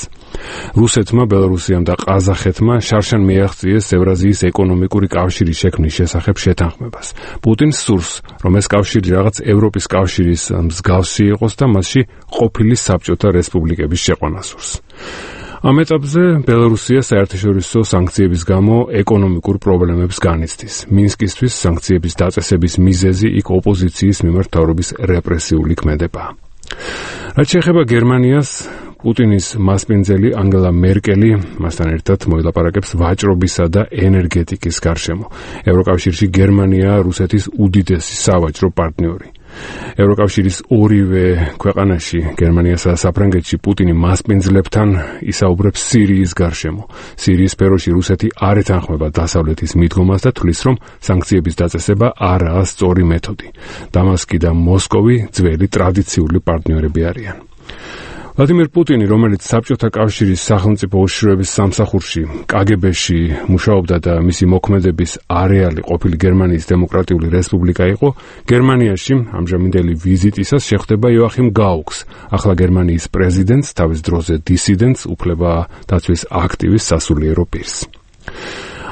რუსეთმა, ბელორუსიამ და ყაზახეთმა შარშან მიაღწიეს ევრაზიის ეკონომიკური კავშირის შექმნის შესახებ შეთანხმებას. პუტინს სურს, რომ ეს კავშირი რაღაც ევროპის კავშირის მსგავსი იყოს და მასში ყოფილი საბჭოთა რესპუბლიკების შეყვანა სურს. ამ ეტაპზე ბელორუსია საერთაშორისო სანქციების გამო ეკონომიკურ პრობლემებს განიცდის. მინსკისთვის სანქციების დაწესების მიზეზი იქ ოპოზიციის მიმართ მთავრობის რეპრესიული ქმედებაა. რაც შეეხება გერმანიას, პუტინის მასპინძელი ანგელა მერკელი მასთან ერთად მოილაპარაკებს ვაჭრობისა და ენერგეტიკის გარშემო. ევროკავშირში გერმანია რუსეთის უდიდესი სავაჭრო პარტნიორი. ევროკავშირის ორივე ქვეყანაში, გერმანიასა და საფრანგეთში პუტინი მასპინძლებთან ისაუბრებს სირიის გარშემო. სირიის სფეროში რუსეთი არ ეთანხმება დასავლეთის მიდგომას და თვლის, რომ სანქციების დაწესება არაა სწორი მეთოდი. დამასკი და მოსკოვი ძველი ტრადიციული პარტნიორები არიან. ვლადიმირ პუტინი, რომელიც საბჭოთა კავშირის სახელმწიფო უშიშროების სამსახურში, კგბ-ში მუშაობდა და მისი მოქმედების არეალი ყოფილი გერმანიის დემოკრატიული რესპუბლიკა იყო, გერმანიაში ამჟამინდელი ვიზიტისას შეხვდება იოახიმ გაუქს, ახლა გერმანიის პრეზიდენტს, თავის დროზე დისიდენტს, უფლება დაცვის აქტივის სასულიერო პირს.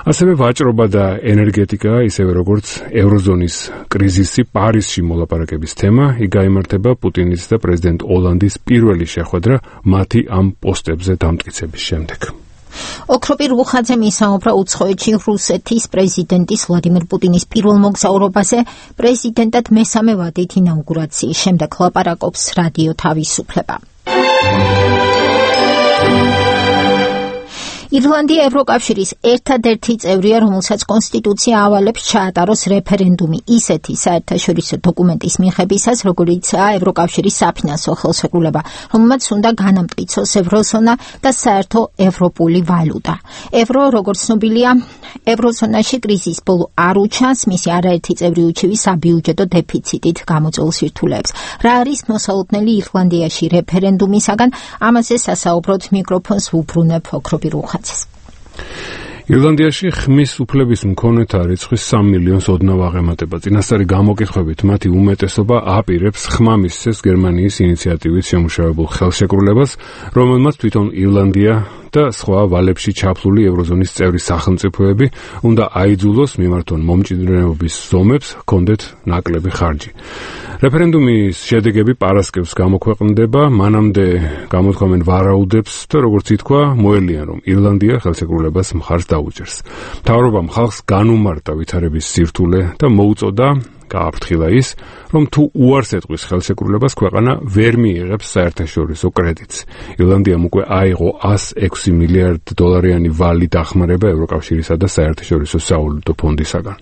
ასევე ვაჭრობა და ენერგეტიკა, ისევე როგორც ევროზონის კრიზისი, პარიზში მოლაპარაკების თემა, იქ გაიმართება პუტინის და პრეზიდენტ ოლანდის პირველი შეხვედრა მათი ამ პოსტებზე დამტკიცების შემდეგ. ოქროპი რუხაძემ ისაუბრა უცხოეთში რუსეთის პრეზიდენტის ვლადიმირ პუტინის პირველ მოგზაურობაზე, პრეზიდენტად მესამე ვადით ინაუგურაციის შემდეგ ლაპარაკობს რადიო თავისუფლება. ირლანდია ევროკავშირის ერთადერთი წევრია, რომელსაც კონსტიტუცია ავალებს ჩაატაროს რეფერენდუმი ისეთი საერთაშორისო დოკუმენტის მიღებისას, როგორიცაა ევროკავშირის საფინანსო ხელშეკრულება, რომელმაც უნდა განამტკიცოს ევროზონა და საერთო ევროპული ვალუტა. ევრო, როგორც ცნობილია, ევროზონაში კრიზისის ბოლო არ უჩანს, მისი არაერთი წევრი უჩივი საბიუჯეტო დეფიციტით გამოწვეულ სირთულეებს. რა არის მოსალოდნელი ირლანდიაში რეფერენდუმისაგან? ამაზე სასაუბროდ მიკროფონს ვუბრუნებ ოქრობი რუხაძეს. ირლანდიაში ხმის უფლების მქონეთა რიცხვის 3 მილიონს ოდნავ აღემატება. წინასწარი გამოკითხვებით მათი უმეტესობა აპირებს ხმამისცეს გერმანიის ინიციატივით შემუშავებულ ხელშეკრულებას, რომელმაც თვითონ ირლანდია და სხვა ვალებში ჩაფლული ევროზონის წევრი სახელმწიფოები უნდა აიძულოს მიმართონ მომჭიდრეობის ზომებს ჰქონდეთ ნაკლები ხარჯი. რეფერენდუმის შედეგები პარასკევს გამოქვეყნდება, მანამდე გამოთქვამენ ვარაუდებს და როგორც ითქვა, მოელიან რომ ირლანდია ხელშეკრულებას მხარს დაუჭერს. მთავრობამ ხალხს განუმარტა ვითარების სირთულე და მოუწოდა გააფრთხილა ის, რომ თუ უარს ეტყვის ხელშეკრულებას, ქვეყანა ვერ მიიღებს საერთაშორისო კრედიტს. ირლანდიამ უკვე აიღო 106 მილიარდ დოლარიანი ვალი დახმარება ევროკავშირისა და საერთაშორისო სავალუტო ფონდისაგან.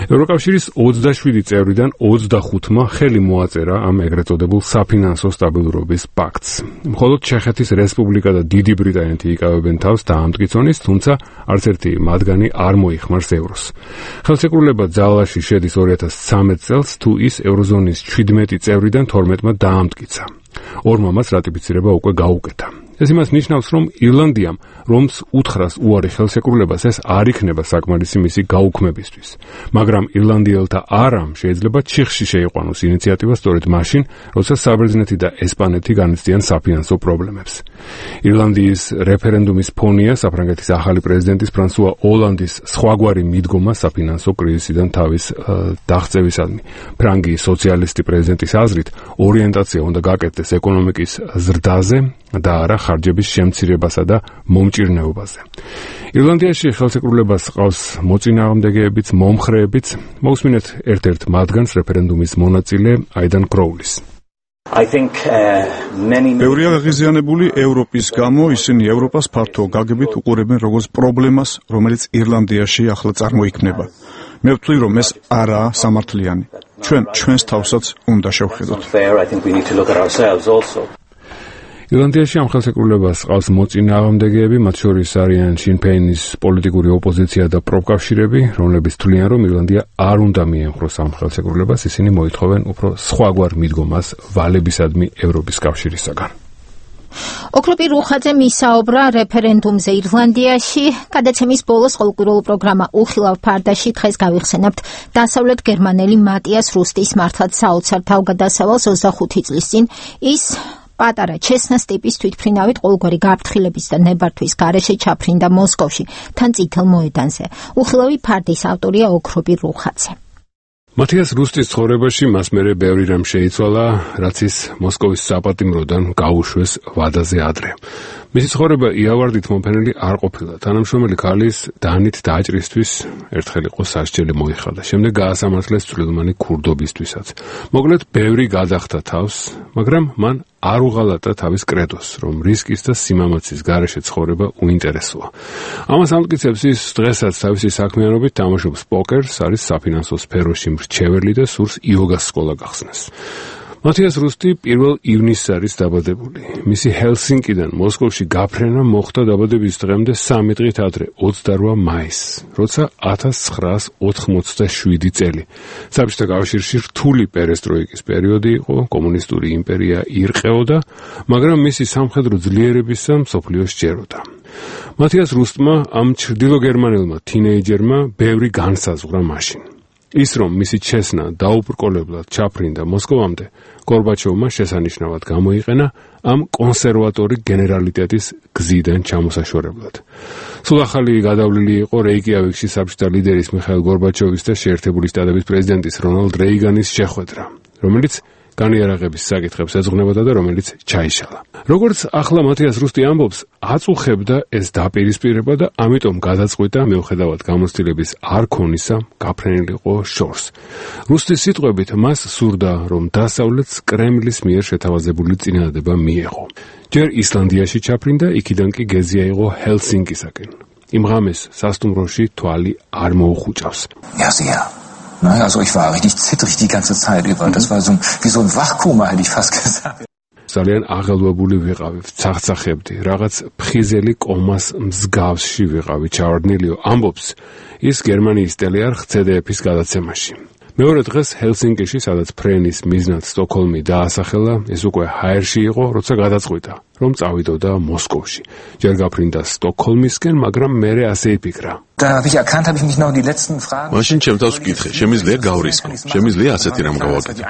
ევროკავშირის 27 წევრიდან 25-მა ხელი მოაწერა ამ ეგრეთ წოდებულ საფინანსო სტაბილურობის პაქტს. მხოლოდ ჩეხეთის რესპუბლიკა და დიდი ბრიტანეთი იკავებენ თავს დაამტკიცონის, თუმცა არც ერთი მათგანი არ მოიხმარს ევროს. ხელშეკრულება ძალაში შედის 2013 წელს, თუ ის ევროზონის 17 წევრიდან 12-მა დაამტკიცა. ორმა მას რატიფიცირება უკვე გაუკეთა. ეს იმას ნიშნავს, რომ ირლანდიამ, რომც უთხრას უარი ხელშეკრულებას, ეს არ იქნება საკმარისი მისი გაუქმებისთვის. მაგრამ ირლანდიელთა არამ შეიძლება ჩიხში შეიყვანოს ინიციატივა სწორედ მაშინ, როცა საბერძნეთი და ესპანეთი განიცდიან საფინანსო პრობლემებს. ირლანდიის რეფერენდუმის ფონია საფრანგეთის ახალი პრეზიდენტის ფრანსუა ოლანდის სხვაგვარი მიდგომა საფინანსო კრიზისიდან თავის დაღწევისადმი. ფრანგი სოციალისტი პრეზიდენტის აზრით, ორიენტაცია უნდა გაკეთდეს ეკონომიკის ზრდაზე და არა ხარჯების შემცირებასა და მომჭირნეობაზე. ირლანდიაში ხელშეკრულებას ყავს მოწინააღმდეგეებიც, მომხრეებიც. მოусმინეთ ერთ-ერთ მათგანს, რეფერენდუმის მონაწილე აიდან კროულის. ბევრია გაღიზიანებული ევროპის გამო, ისინი ევროპას ფართო გაგებით უყურებენ როგორც პრობლემას, რომელიც ირლანდიაში ახლა წარმოიქმნება. მე ვთვლი, რომ ეს არაა სამართლიანი. ჩვენს თავსაც უნდა შევხედოთ. ირლანდიაში ამ ხელშეკრულებას ყავს მოწინააღმდეგეები, მათ შორის არიან შინ ფეინის პოლიტიკური ოპოზიცია და პროფკავშირები, რომლებიც თვლიან, რომ ირლანდია არ უნდა მიემხროს ამ ხელშეკრულებას, ისინი მოითხოვენ უფრო სხვაგვარ მიდგომას ვალებისადმი ევროპის კავშირისაგან. ოქრობი რუხაძე მისაუბრა რეფერენდუმზე ირლანდიაში. გადაცემის ბოლოს ყოველკვირეულ პროგრამა უხილავ ფარდაში დღეს გავიხსენებთ დასავლეთ გერმანელი მატიას რუსტის მართლაც საოცარ თავგადასავალს 25 წლის წინ. ის პატარა ჩესნას ტიპის თვითმფრინავით ყოველგვარი გაფრთხილების და ნებართვის გარეშე ჩაფრინდა მოსკოვში, თან წითელ მოედანზე. უხილავი ფარდის ავტორია ოქრობი რუხაძე. მათიას რუსტის ცხოვრებაში მას მერე ბევრი რამ შეიცვალა, რაც ის მოსკოვის საპატიმროდან გაუშვეს ვადაზე ადრე. მისი ცხოვრება იავარდით მომფენელი არ ყოფილა. თანამშრომელი ქალის დანით დაჭრისთვის ერთხელ იყო სასჯელი მოიხადა. შემდეგ გაასამართლეს წვრილმანი ქურდობისთვისაც. მოკლედ, ბევრი გადახდა თავს, მაგრამ მან არ უღალატა თავის კრედოს, რომ რისკის და სიმამაცის გარეშე ცხოვრება უინტერესოა. ამას ამტკიცებს ის დღესაც თავისი საქმიანობით თამაშობს პოკერს, არის საფინანსო სფეროში მრჩეველი და სურს იოგას სკოლა გახსნას. მათიას რუსტი 1 ივნისს არის დაბადებული. მისი ჰელსინკიდან მოსკოვში გაფრენა მოხდა დაბადების დღემდე 3 დღით ადრე, 28 მაისს, როცა 1987 წელი. საბჭოთა კავშირში რთული პერესტროიკის პერიოდი იყო, კომუნისტური იმპერია ირყეოდა, მაგრამ მისი სამხედრო ძლიერებისა მსოფლიო სჯეროდა. მათიას რუსტმა ამ ჩრდილოგერმანელმა თინეიჯერმა ბევრი განსაზღვრა მაშინ. ის რომ მისი ჩესნა დაუბრკოლებლად ჩაფრინდა მოსკოვამდე, გორბაჩოვმა შესანიშნავად გამოიყენა ამ კონსერვატორი გენერალიტეტის გზიდან ჩამოსაშორებლად. სულ ახალი გადავლილი იყო რეიკიავიკში საბჭოთა ლიდერის მიხაილ გორბაჩოვის და შეერთებული შტატების პრეზიდენტის რონალდ რეიგანის შეხვედრა, რომელიც განიარაღების საკითხებს ეძღვნებოდა და რომელიც ჩაიშალა. როგორც ახლა მათიას რუსტი ამბობს, აწუხებდა ეს დაპირისპირება და ამიტომ გადაწყვიტა მიუხედავად გამოცდილების არ ქონისა გაფრენილიყო შორს. რუსტის სიტყვებით მას სურდა, რომ დასავლეთს კრემლის მიერ შეთავაზებული წინადადება მიეღო. ჯერ ისლანდიაში ჩაფრინდა, იქიდან კი გეზი აიღო ჰელსინკისაკენ. იმ ღამეს სასტუმროში თვალი არ მოუხუჭავს. Nein, also ich war richtig zittrig die ganze Zeit über. Das war so wie so ein Wachkoma, hätte ich fast gesagt. ძალიან აღელვებული ვიყავი, ცახცახებდი, რაღაც ფხიზელი კომას მსგავსში ვიყავი, ჩავარდნილიო, ამბობს ის გერმანიის ტელეარხ ZDF-ის გადაცემაში. მეორე დღეს ჰელსინკიში, სადაც ფრენის მიზნად სტოკჰოლმი დაასახელა, ეს უკვე ჰაერში იყო, როცა გადაწყვიტა, რომ წავიდოდა მოსკოვში. ჯერ გაფრინდა სტოკჰოლმისკენ, მაგრამ მერე ასე იფიქრა. მაშინ ჩემთავს ვკითხე, შემიძლია გავრისკო, შემიძლია ასეთი რამ გავაკეთო.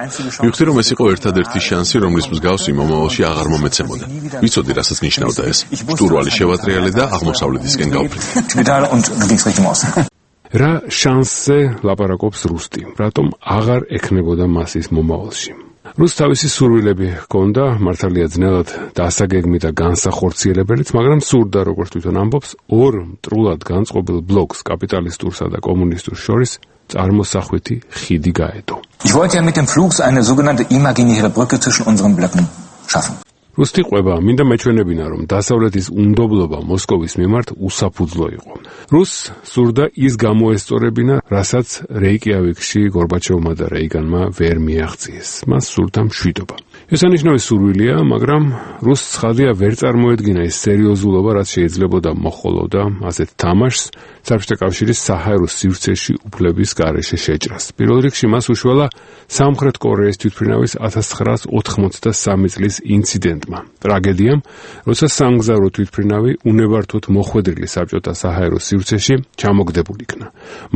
მივხვდი, რომ ეს იყო ერთადერთი შანსი, რომლის მსგავსი მომავალში აღარ მომეცემოდა. ვიცოდი, რასაც ნიშნავდა ეს. შტურვალი შევატრიალე და აღმოსავლეთისკენ გავფრინდი. რა შანსზე ლაპარაკობს რუსტი, რატომ აღარ ექნებოდა მას ის მომავალში. რუსს თავისი სურვილები ჰქონდა, მართალია ძნელად დასაგეგმი და განსახორციელებელიც, მაგრამ სურდა, როგორც თვითონ ამბობს, ორ მტრულად განწყობილ ბლოკს, კაპიტალისტურსა და კომუნისტურს შორის წარმოსახვითი ხიდი გაედო. Ich wollte ja mit dem Flug eine sogenannte imaginäre Brücke zwischen unseren Blöcken schaffen. რუსტი ყვება, მინდა მეჩვენებინა, რომ დასავლეთის უნდობლობა მოსკოვის მიმართ უსაფუძვლო იყო. რუსს სურდა ის გამოესწორებინა, რასაც რეიკიავიკში გორბაჩოვმა და რეიგანმა ვერ მიაღწიეს. მას სურდა მშვიდობა. ესანიშნავი სურვილია, მაგრამ რუსს ცხადია ვერ წარმოედგინა ის სერიოზულობა, რაც შეიძლებოდა მოხოლოდა ასეთ თამაშს საბჭოთა კავშირის საჰაერო სივრცეში უფლების გარეშე შეჭრას. პირველ რიგში მას უშველა სამხრეთ კორეის თვითმფრინავის 1983 წლის ინციდენტმა, ტრაგედიამ, როცა სამგზავრო თვითმფრინავი უნებართოდ მოხვედრილი საბჭოთა საჰაერო სივრცეში ჩამოგდებულ იქნა.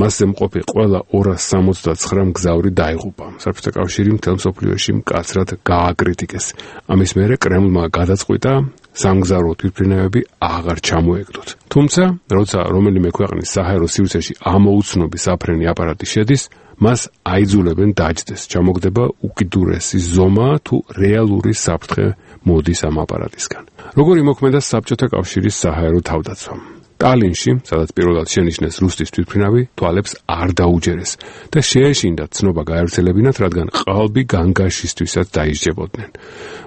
მასზე მყოფი ყველა 269 მგზავრი დაიღუპა. საბჭოთა კავშირი მთელ მსოფლიოში მკაცრად გააკრიტიკეს. ამის მერე კრემლმა გადაწყვიტა სამგზავრო თვითმფრინავები აღარ ჩამოეკდოთ. თუმცა, როცა რომელიმე ქვეყნის საჰაერო სივრცეში ამოუცნობი საფრენი აპარატი შედის, მას აიძულებენ დაჯდეს. ჩამოგდება უკიდურესი ზომა თუ რეალური საფრთხე მოდის ამ აპარატისგან. როგორი მოქმედა საბჭოთა კავშირის საჰაერო თავდაცვა. ტალინში, სადაც პირველად შენიშნეს რუსეთის თვითმფრინავი, თვალებს არ დაუჯერეს და შეეშინდათ ცნობა გაერთელებინათ, რადგან ყალბი განგაშისთვისაც დაისჯებოდნენ.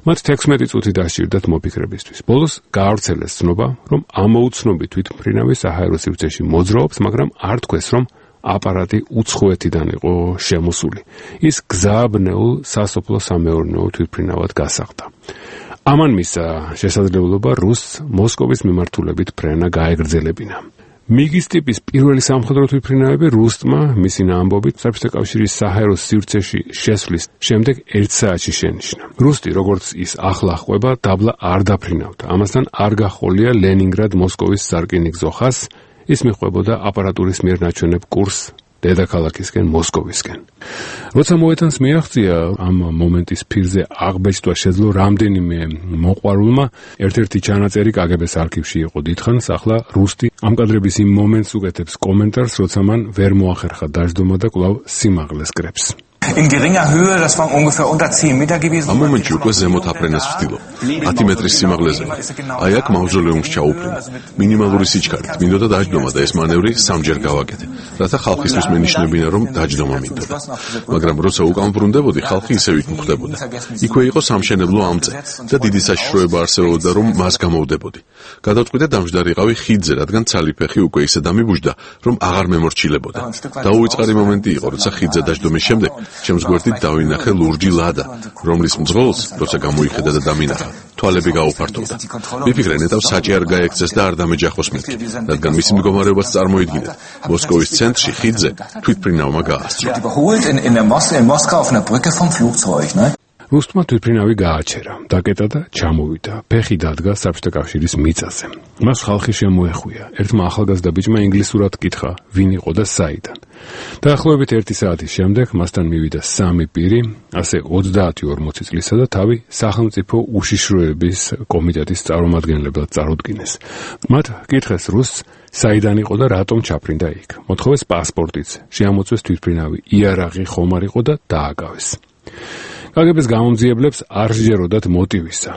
მათ 16 წუთი დასჭირდათ მოფიქრებისთვის. ბოლოს გაავრცელეს ცნობა, რომ ამოუცნობი თვითმფრინავი საჰაერო სივრცეში მოძრაობს, მაგრამ არ თქვეს, რომ აპარატი უცხოეთიდან იყო შემოსული. ის გზააბნეულ სასოფლო სამეურნეო თვითმფრინავად გასაღდა. ამან მისცა შესაძლებლობა რუსს მოსკოვის მიმართულებით ფრენა გაეგრძელებინა. მიგის ტიპის პირველი სამხედრო თვითმფრინავები რუსტმა მისინა ამბობით საბჭოთა კავშირის საჰაერო სივრცეში შესვლის შემდეგ 1 საათში შენიშნა. რუსტი, როგორც ის ახლა ყვება, დაბლა არ დაფრინავდა. ამასთან არ გახოლია ლენინგრად-მოსკოვის სარკინიგზო ხაზს, ის მიყვებოდა აპარატურის მიერ ნაჩვენებ კურსს დედაქალაქისკენ მოსკოვისკენ. როცა მოედანს მიაღწია, ამ მომენტის ფირზე აღბეჭდვა შეძლო რამდენიმე მოყვარულმა, ერთ-ერთი ჩანაწერი KGB-ს არქივში იყო დიდხანს, ახლა რუსტი ამ კადრების იმ მომენტს უკეთებს კომენტარს, როცა მან ვერ მოახერხა დაждდომა და კვლავ სიმაღლეს კრებს. In geringer Höhe, das war ungefähr unter 10 Meter gewesen. Am momentში უკვე ზემოთ აფრენას ვთილო. 10 მეტრის სიმაღლეზე. აი აქ მავზოლეუმს ჩაუფრინე. მინიმალური სიჩქარით მინდოდა დაждდომა და ეს მანევრი სამჯერ გავაკეთე. რათა ხალხისთვის მენიშნებინა, რომ დაждდომა მინდოდა. მაგრამ როცა უკან ბრუნდებოდი, ხალხი ისევ იქ მხვდებოდა. იქვე იყო სამშენებლო ამწე და დიდი საშიშროება არსებობდა, რომ მას გამოვდებოდი. გადავწყვიტე დამждარიყავი ხიდზე, რადგან ცალიფეხი უკვე ისე დამიბუჯდა, რომ აღარ მემორჩილებოდა. დაუვიწყარი მომენტი იყო, როცა ხიდზე დაждდომის შემდეგ ჩემს გვერდით დავინახე ლურჯი ლადა, რომლის მძღოლს, როცა გამოიხედა და დამინახა, თვალები გაუფართოვდა. მიფიქრე, ნეტავ საჭი არ გაექცეს და არ დამეჯახოს მეთქი, რადგან მისი მდგომარეობაც წარმოიდგინეთ. მოსკოვის ცენტრში ხიდზე თვითმფრინავმა გაასწრო. რუსტმა თვითმფრინავი გააჩერა, დაკეტა და ჩამოვიდა. ფეხი დადგა საბჭოთა კავშირის მიწაზე. მას ხალხი შემოეხვია. ერთმა ახალგაზრდა ბიჭმა ინგლისურად კითხა, ვინ იყო და საიდან. დაახლოებით 1 საათის შემდეგ მასთან მივიდა 3 პირი, ასე 30-40 წლისა და თავი სახელმწიფო უშიშროების კომიტეტის წარმომადგენლებლად წარუდგინეს. მათ კითხეს რუსს, საიდან იყო და რატომ ჩაფრინდა იქ. მოთხოვეს პასპორტიც, შეამოწვეს თვითმფრინავი, იარაღი ხომ არ იყო და დააკავეს. კგბ-ს გამომძიებლებს არ სჯეროდათ მოტივისა.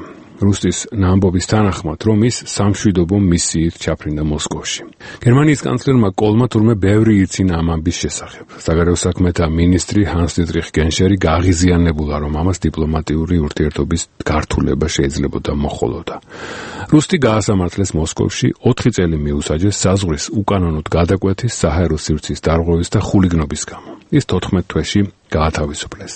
რუსტის ნამბობის თანახმად, რომ ის სამშვიდობო მისიით ჩაფრინდა მოსკოვში. გერმანიის კანცლერმა კოლმა თურმე ბევრი ირცინა ამ ამბის შესახებ. საგარეო საქმეთა მინისტრი ჰანს-დიტრიხ გენშერი გაღიზიანებულა, რომ ამას დიპლომატიური ურთიერთობის გართულება შეიძლებოდა მოხოლოდა. რუსტი გაასამართლეს მოსკოვში 4 წელი მიუსაჯეს საზღვრის უკანონოდ გადაკვეთის, საჰაერო სივრცის დარღვევის და ხულიგნობის გამო. ის 14 თვეში გაათავისუფლეს.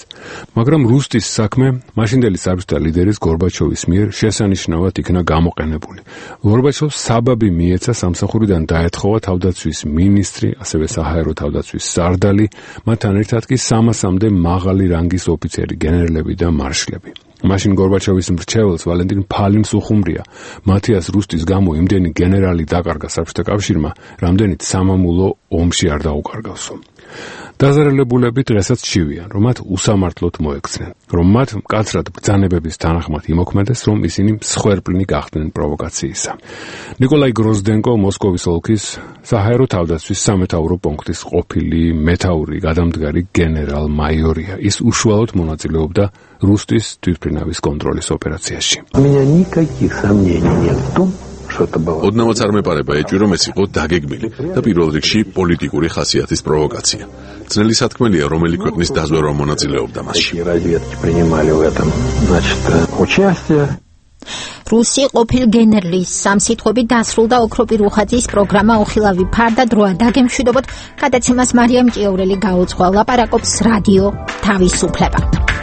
მაგრამ რუსტის საქმე მაშინდელი საბჭოთა ლიდერის გორბაჩოვის მიერ შესანიშნავად იქნა გამოყენებული. გორბაჩოვს საბაბი მიეცა სამსახურიდან დაეთხოვა თავდაცვის მინისტრი, ასევე საჰაერო თავდაცვის სარდალი, მათთან ერთად კი 300-მდე მაღალი რანგის ოფიცერი, გენერლები და მარშლები. მაშინ გორბაჩოვის მრჩეველს ვალენტინ ფალინს უხუმრია. მათიას რუსტის გამო იმდენი გენერალი დაკარგა საბჭოთა კავშირმა, რამდენიც სამამულო ომში არ დაუკარგავსო. დაზარალებულები დღესაც ჩივიან, რომ მათ უსამართლოდ მოექცნენ, რომ მათ მკაცრად ბრძანებების თანახმად იმოქმედეს, რომ ისინი მსხვერპლნი გახდნენ პროვოკაციისა. ნიკოლაი გროზდენკო მოსკოვის ოლქის საჰაერო თავდაცვის სამეთაურო პუნქტის ყოფილი მეთაური გადამდგარი გენერალ-მაიორია. ის უშუალოდ მონაწილეობდა რუსტის თვითმფრინავის კონტროლის ოპერაციაში. ოდნავაც არ მეპარება ეჭვი, რომ ეს იყო დაგეგმილი და პირველ რიგში პოლიტიკური ხასიათის პროვოკაცია. ძნელი სათქმელია, რომელი ქვეყნის დაზვერვა მონაწილეობდა მასში. რუსი ყოფილ გენერლის სამსიტყვებით დასრულდა ოქროპი რუხაძის პროგრამა უხილავი ფარდა დროა დაგემშვიდობოთ. გადაცემას მარიამ ჭიაურელი გაუძღვა, ლაპარაკობს რადიო თავისუფლება.